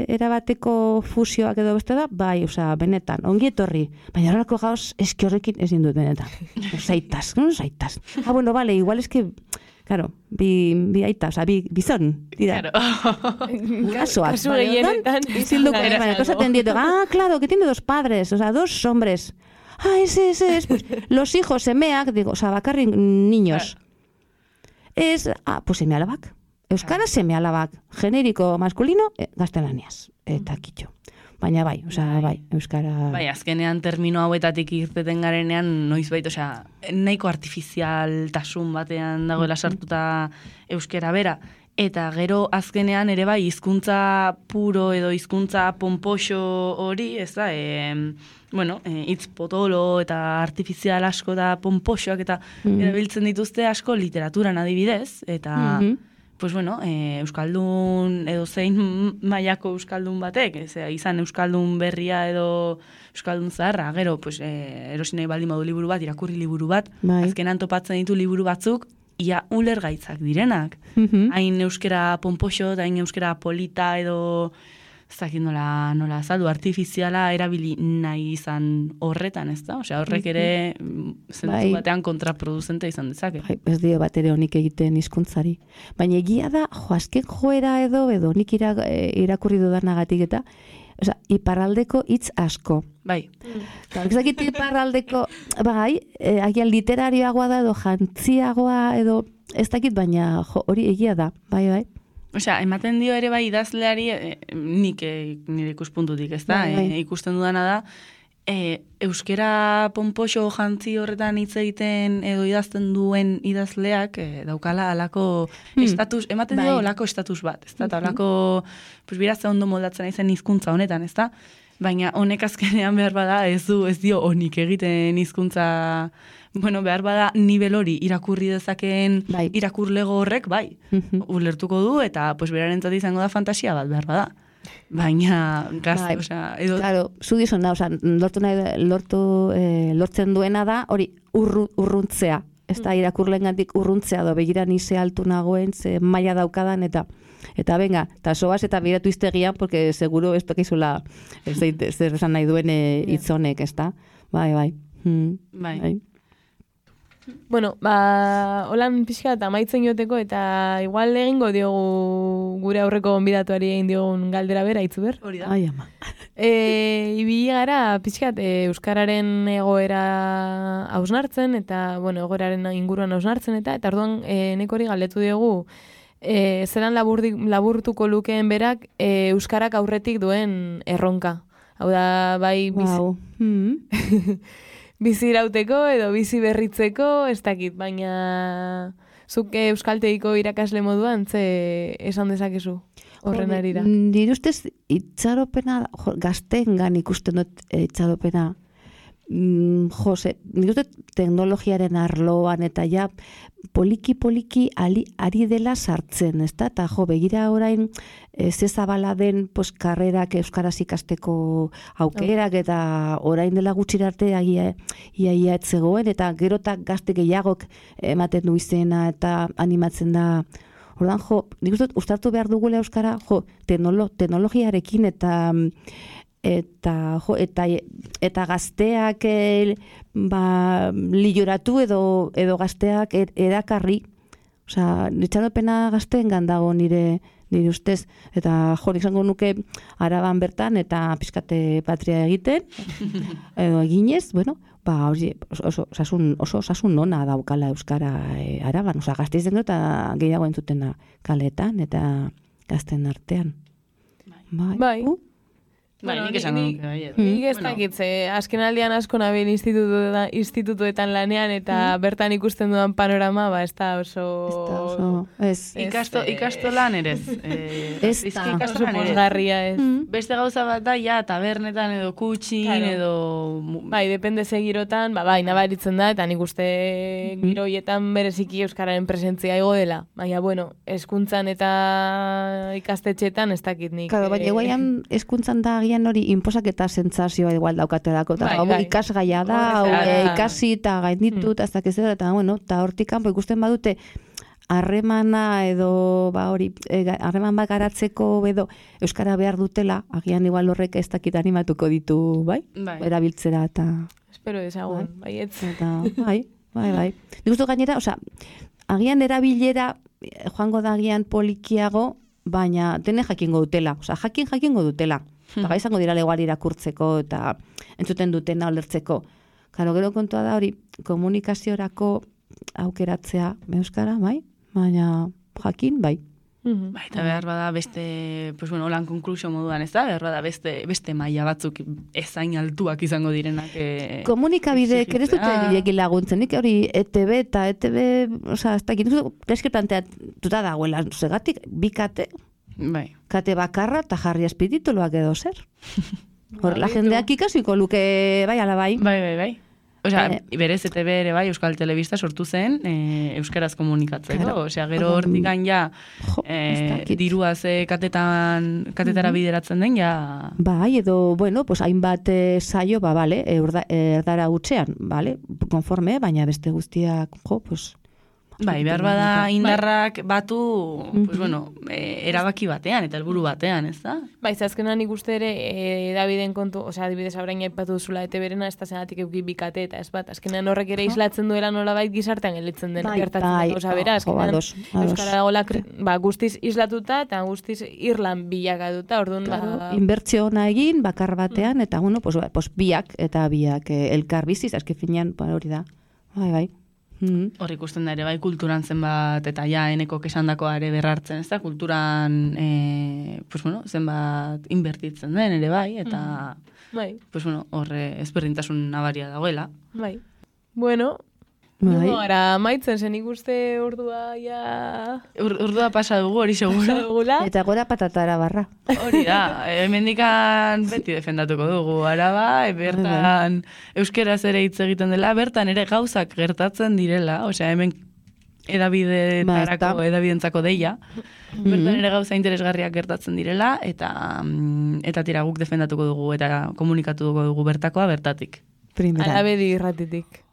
erabateko fusioak edo beste da, bai, osea, benetan, ongi etorri. Baina horrelako gauz, eski horrekin ezin dut benetan. Zaitas, no zaitas. Ah, bueno, vale, igual es que, claro, bi, bi aita, osea, bi, bizon, dira. Claro. Gurasoak. Kasu Vale, gehienetan, orduan, zilduko, izan da baina, esaten dieto, ah, claro, que tiene dos padres, o sea, dos hombres. Ah, ese, ese, es, pues, los hijos, semeak, digo, o sea, bakarrik niños. Es, ah, pues seme alabak. Euskara seme alabak. Generiko maskulino, eh, gaztelaniaz. Eta kitxo. Baina bai, osea, bai, euskara... Bai, azkenean termino hauetatik irteten garenean, noizbait, osea, nahiko artifizialtasun batean dagoela sartuta euskera bera. Eta gero azkenean ere bai, hizkuntza puro edo hizkuntza pompoxo hori, ez da, e, bueno, e, hitz potolo eta artifizial asko da pompoxoak eta Mhm. erabiltzen dituzte asko literaturan adibidez, eta... Mhm. Pues bueno, e, euskaldun edo zein mailako euskaldun batek, ez, izan euskaldun berria edo euskaldun zaharra, gero, pues, e, erosi nahi baldin badu liburu bat, irakurri liburu bat, Bai. azkenan topatzen ditu liburu batzuk, ia ulergaitzak direnak. Mhm. Hain euskera pompoxo, da hain euskera polita edo, ez dakit nola, nola azaldu, artifiziala erabili nahi izan horretan, ez da? Osea, horrek ere zentzu Bai. batean kontraproduzente izan dezake. Bai, ez dio bat ere honik egiten hizkuntzari. Baina egia da, jo, azken joera edo, edo nik ira, e, irakurri dudanagatik eta, osea, iparraldeko hitz asko. Bai. Eta ez dakit iparraldeko, bai, e, agian literarioagoa da edo jantziagoa edo, ez dakit, baina jo, hori egia da, bai, bai. Osea, ematen dio ere bai idazleari, e, nik e, nire ikuspuntutik, ez da, Bai, bai. e, ikusten dudana da, e, euskera pompoxo jantzi horretan hitz egiten edo idazten duen idazleak e, daukala alako Hmm. estatus, ematen dio Bai. olako estatus bat, ez da, eta olako, pues birazte ondo moldatzen naizen hizkuntza honetan, ez da, baina honek azkenean behar bada ez du, ez dio honik egiten hizkuntza, bueno, behar bada nivel hori irakurri dezakeen Bai. irakurlego horrek, bai, Mhm. ulertuko du, eta pues berarentzat izango da fantasia bat, behar bada. Baina, gaz, Bai. osea, edo... Claro, zu dizuna, osea, lortu nahi, lortu, eh, lortzen duena da, hori, urru, urruntzea. Ez da, irakurlengandik urruntzea do, begira ni ze altu nagoen, ze maila daukadan, eta eta venga, eta soaz eta biratu iztegian, porque seguro ez dakizula, ez da, zer esan nahi duen eh, hitz honek, ez da? Bai, bai. Hmm. Bai. Bueno, ba, holan pixka eta amaitzen joteko, eta igual egingo diogu gure aurreko gonbidatuari egin diogun galdera bera, Itzuber. Hori da. Ai, ama. E, ibili gara pixkat e, euskararen egoera hausnartzen eta bueno, egoeraren inguruan hausnartzen eta eta orduan e, neko hori galdetu diogu e, zelan laburdik, laburtuko lukeen berak e, euskarak aurretik duen erronka. Hau da, bai bizi, Wow. Hmm. bizi irauteko edo bizi berritzeko, ez dakit, baina zuk e, euskaltegiko irakasle moduan ze esan dezakezu horren arira. Nire ustez itxaropena, jo, gazteengan ikusten dut eh, itxaropena. mm, jose, nik uste teknologiaren arloan eta ja poliki-poliki ari dela sartzen, ezta? Eta jo, begira orain e, ze zabala den pues, karrerak euskaraz ikasteko aukerak eta orain dela gutxira arte agia ia ia ez zegoen eta gero eta gazte gehiagok ematen du izena eta animatzen da. Ordan jo, nik uste ustartu behar dugula euskara, jo, teknolo, teknologiarekin eta eta jo, eta eta gazteak el, ba, lioratu edo edo gazteak er, erakarri, osea, nitxaropena gazteengan dago nire nire ustez, eta jo, izango nuke Araban bertan eta pizkate patria egiten edo eginez, bueno, ba hori oso osasun oso osasun nona daukala euskara e, Araban, osea, Gasteizen eta gehiago entzutena kaletan eta gazten artean. Bai. Bai. Uh? Bai, nik esan nuke, bai. Nik ez dakit, ze azken aldian asko nabil institutuetan, institutuetan lanean eta mm. bertan ikusten dudan panorama, ba, ez da oso... Ez da oso, ez. Ikasto, ikastolan ere ez. Eh, ez da. Oso pozgarria ez. Mm. Beste gauza bat da, ja, tabernetan edo kutxin, Claro. edo... Bai, depende ze girotan, ba, bai, nabaritzen da, eta nik uste giro hietan bereziki euskararen presentzia igo dela. Baina, bueno, hezkuntzan eta ikastetxetan ez dakit nik. Claro, baina guaian hezkuntzan da agian hori inposaketa sentsazioa igual daukatelako, eta Bai, hau bai. ikasgaia da, Horrez hau da. e, ikasi eta gainditu, eta ez dakiz dela, eta bueno, eta hortik kanpo ikusten badute harremana edo ba hori e, ga- harreman bat garatzeko edo euskara behar dutela, agian igual horrek ez dakit animatuko ditu, bai? Bai. Erabiltzera eta Espero dezagun, baietz. eta bai, bai, bai. Nik uste dut gainera, osea, agian erabilera eh, joango da agian polikiago, baina dene jakingo dutela, osea, jakin jakingo dutela. Eta gai izango dira legoari irakurtzeko eta entzuten dutena olertzeko. Karo, gero kontua da hori komunikaziorako aukeratzea euskara, bai? Baina jakin, bai. Mhm. Bai, eta behar bada beste, pues bueno, lan konklusio moduan, ez da? Behar bada beste, beste maila batzuk ezain altuak izango direnak. E, Komunikabideek ere ez dute exigitzea. gehiagin laguntzen, nik hori E T B eta E T B, osea, ez dakit, gaizki planteatuta dagoela, zegatik, bi kate, Bai. kate bakarra eta jarri azpitituluak edo zer. Horrela Bai, jendeak ikasiko luke, bai, ala bai. Bai, bai, bai. Osea, Eh. berez E T B ere bai, Euskal Telebista sortu zen, e, euskaraz komunikatzeko. Claro. Osea, gero Orduan, hortikan ja, Jo, ez e, dakit. dirua ze katetan, katetara bideratzen den, ja... Bai, edo, bueno, pues hainbat eh, saio, ba, bale, erda, erdara gutxean, bale, konforme, baina beste guztiak, jo, pues... Bai, behar bada indarrak batu, pues bueno, e, erabaki batean, eta helburu batean, ez da? Bai, ze azkenan nik uste ere, e, Daviden kontu, osea, adibidez abrain aipatu duzula E T B-rena, ez da zenatik euki bikate eta ez bat, azkenan horrek ere islatzen duela nolabait gizartean gelitzen den, Bai, gertatzen bai, den, osea, bera, jo, azkenan ados, ados. euskara dagoela, kri- ba, guztiz islatuta eta guztiz irlan bilakatuta, orduan, Claro, ba, inbertsio ona egin, bakar batean, eta, bueno, pues, ba, pues biak, eta biak eh, elkar biziz, azken finean, ba, hori da. Bai, bai. Mm. Hor ikusten da ere bai kulturan zenbat eta ja eneko kesandakoa ere berrartzen, ez da? Kulturan e, pues bueno, zenbat inbertitzen den ere bai, eta bai, pues bueno, hor eh, ezberdintasun nabaria dagoela. bai. Bueno, Bai. Bai. Gara maitzen zen ikuste ordua ja... Ur, urdua pasa dugu hori seguro. Dugula. Eta gora patatara barra. Hori da, hemendikan beti defendatuko dugu araba, e, bertan euskeraz ere hitz egiten dela, bertan ere gauzak gertatzen direla, osea hemen edabidetarako, Ba, edabidentzako deia, bertan ere gauza interesgarriak gertatzen direla, eta mm, eta tira guk defendatuko dugu, eta komunikatuko dugu bertakoa bertatik. Primera. Arabedi irratitik.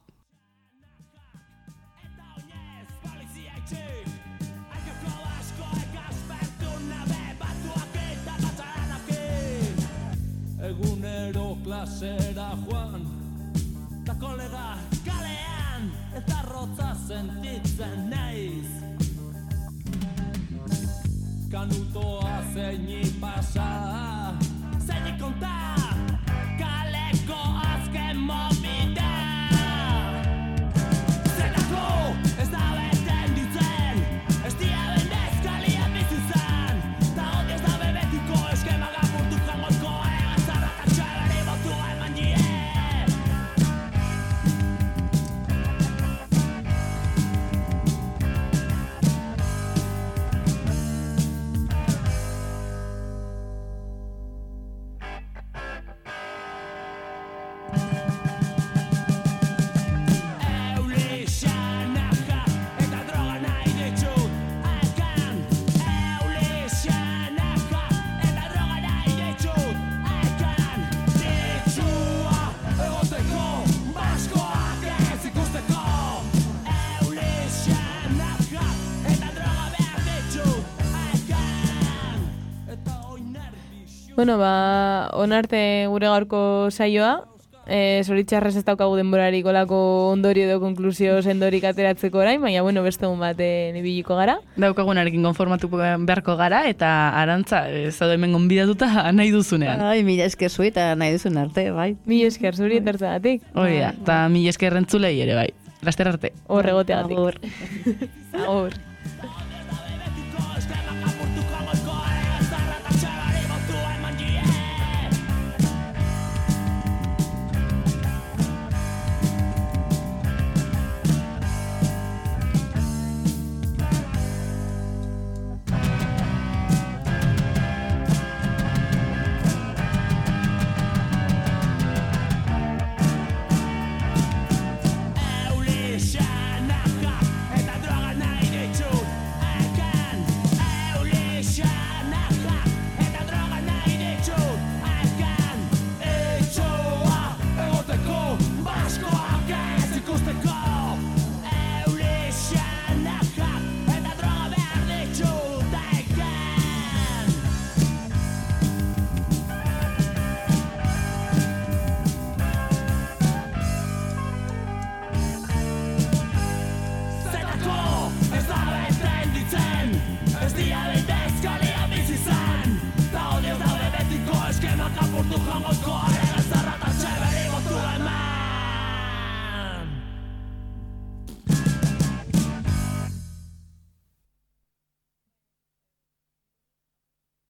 Egunero klasera joan Ta kolega kalean Eta rotza sentitzen naiz Kanutoa zeini pasa Zeini konta Kaleko azken momita Zelako ez da beten ditzen Ez dia bendezkalia bizizan Ta hodi ez da bebetiko eskema gapurtu jangozko Egazarra eta txabari botu eman die Bueno, ba, onarte gure gaurko saioa, e, zoritxarrez ez daukagu denborarik olako ondorio edo konklusio sendorik ateratzeko orain, baina bueno, beste egun baten ibiliko gara. Daukagunarekin konformatuko beharko gara, eta Arantza, ez da hemen gonbidatuta nahi duzunean. Ai, mila esker zui eta nahi duzun arte, bai. Mila esker zuri etortzagatik. Hori da, eta mila esker entzulei ere, bai. Laster arte. Hor egoteagatik. Agur. Agur. Betiko eskerrak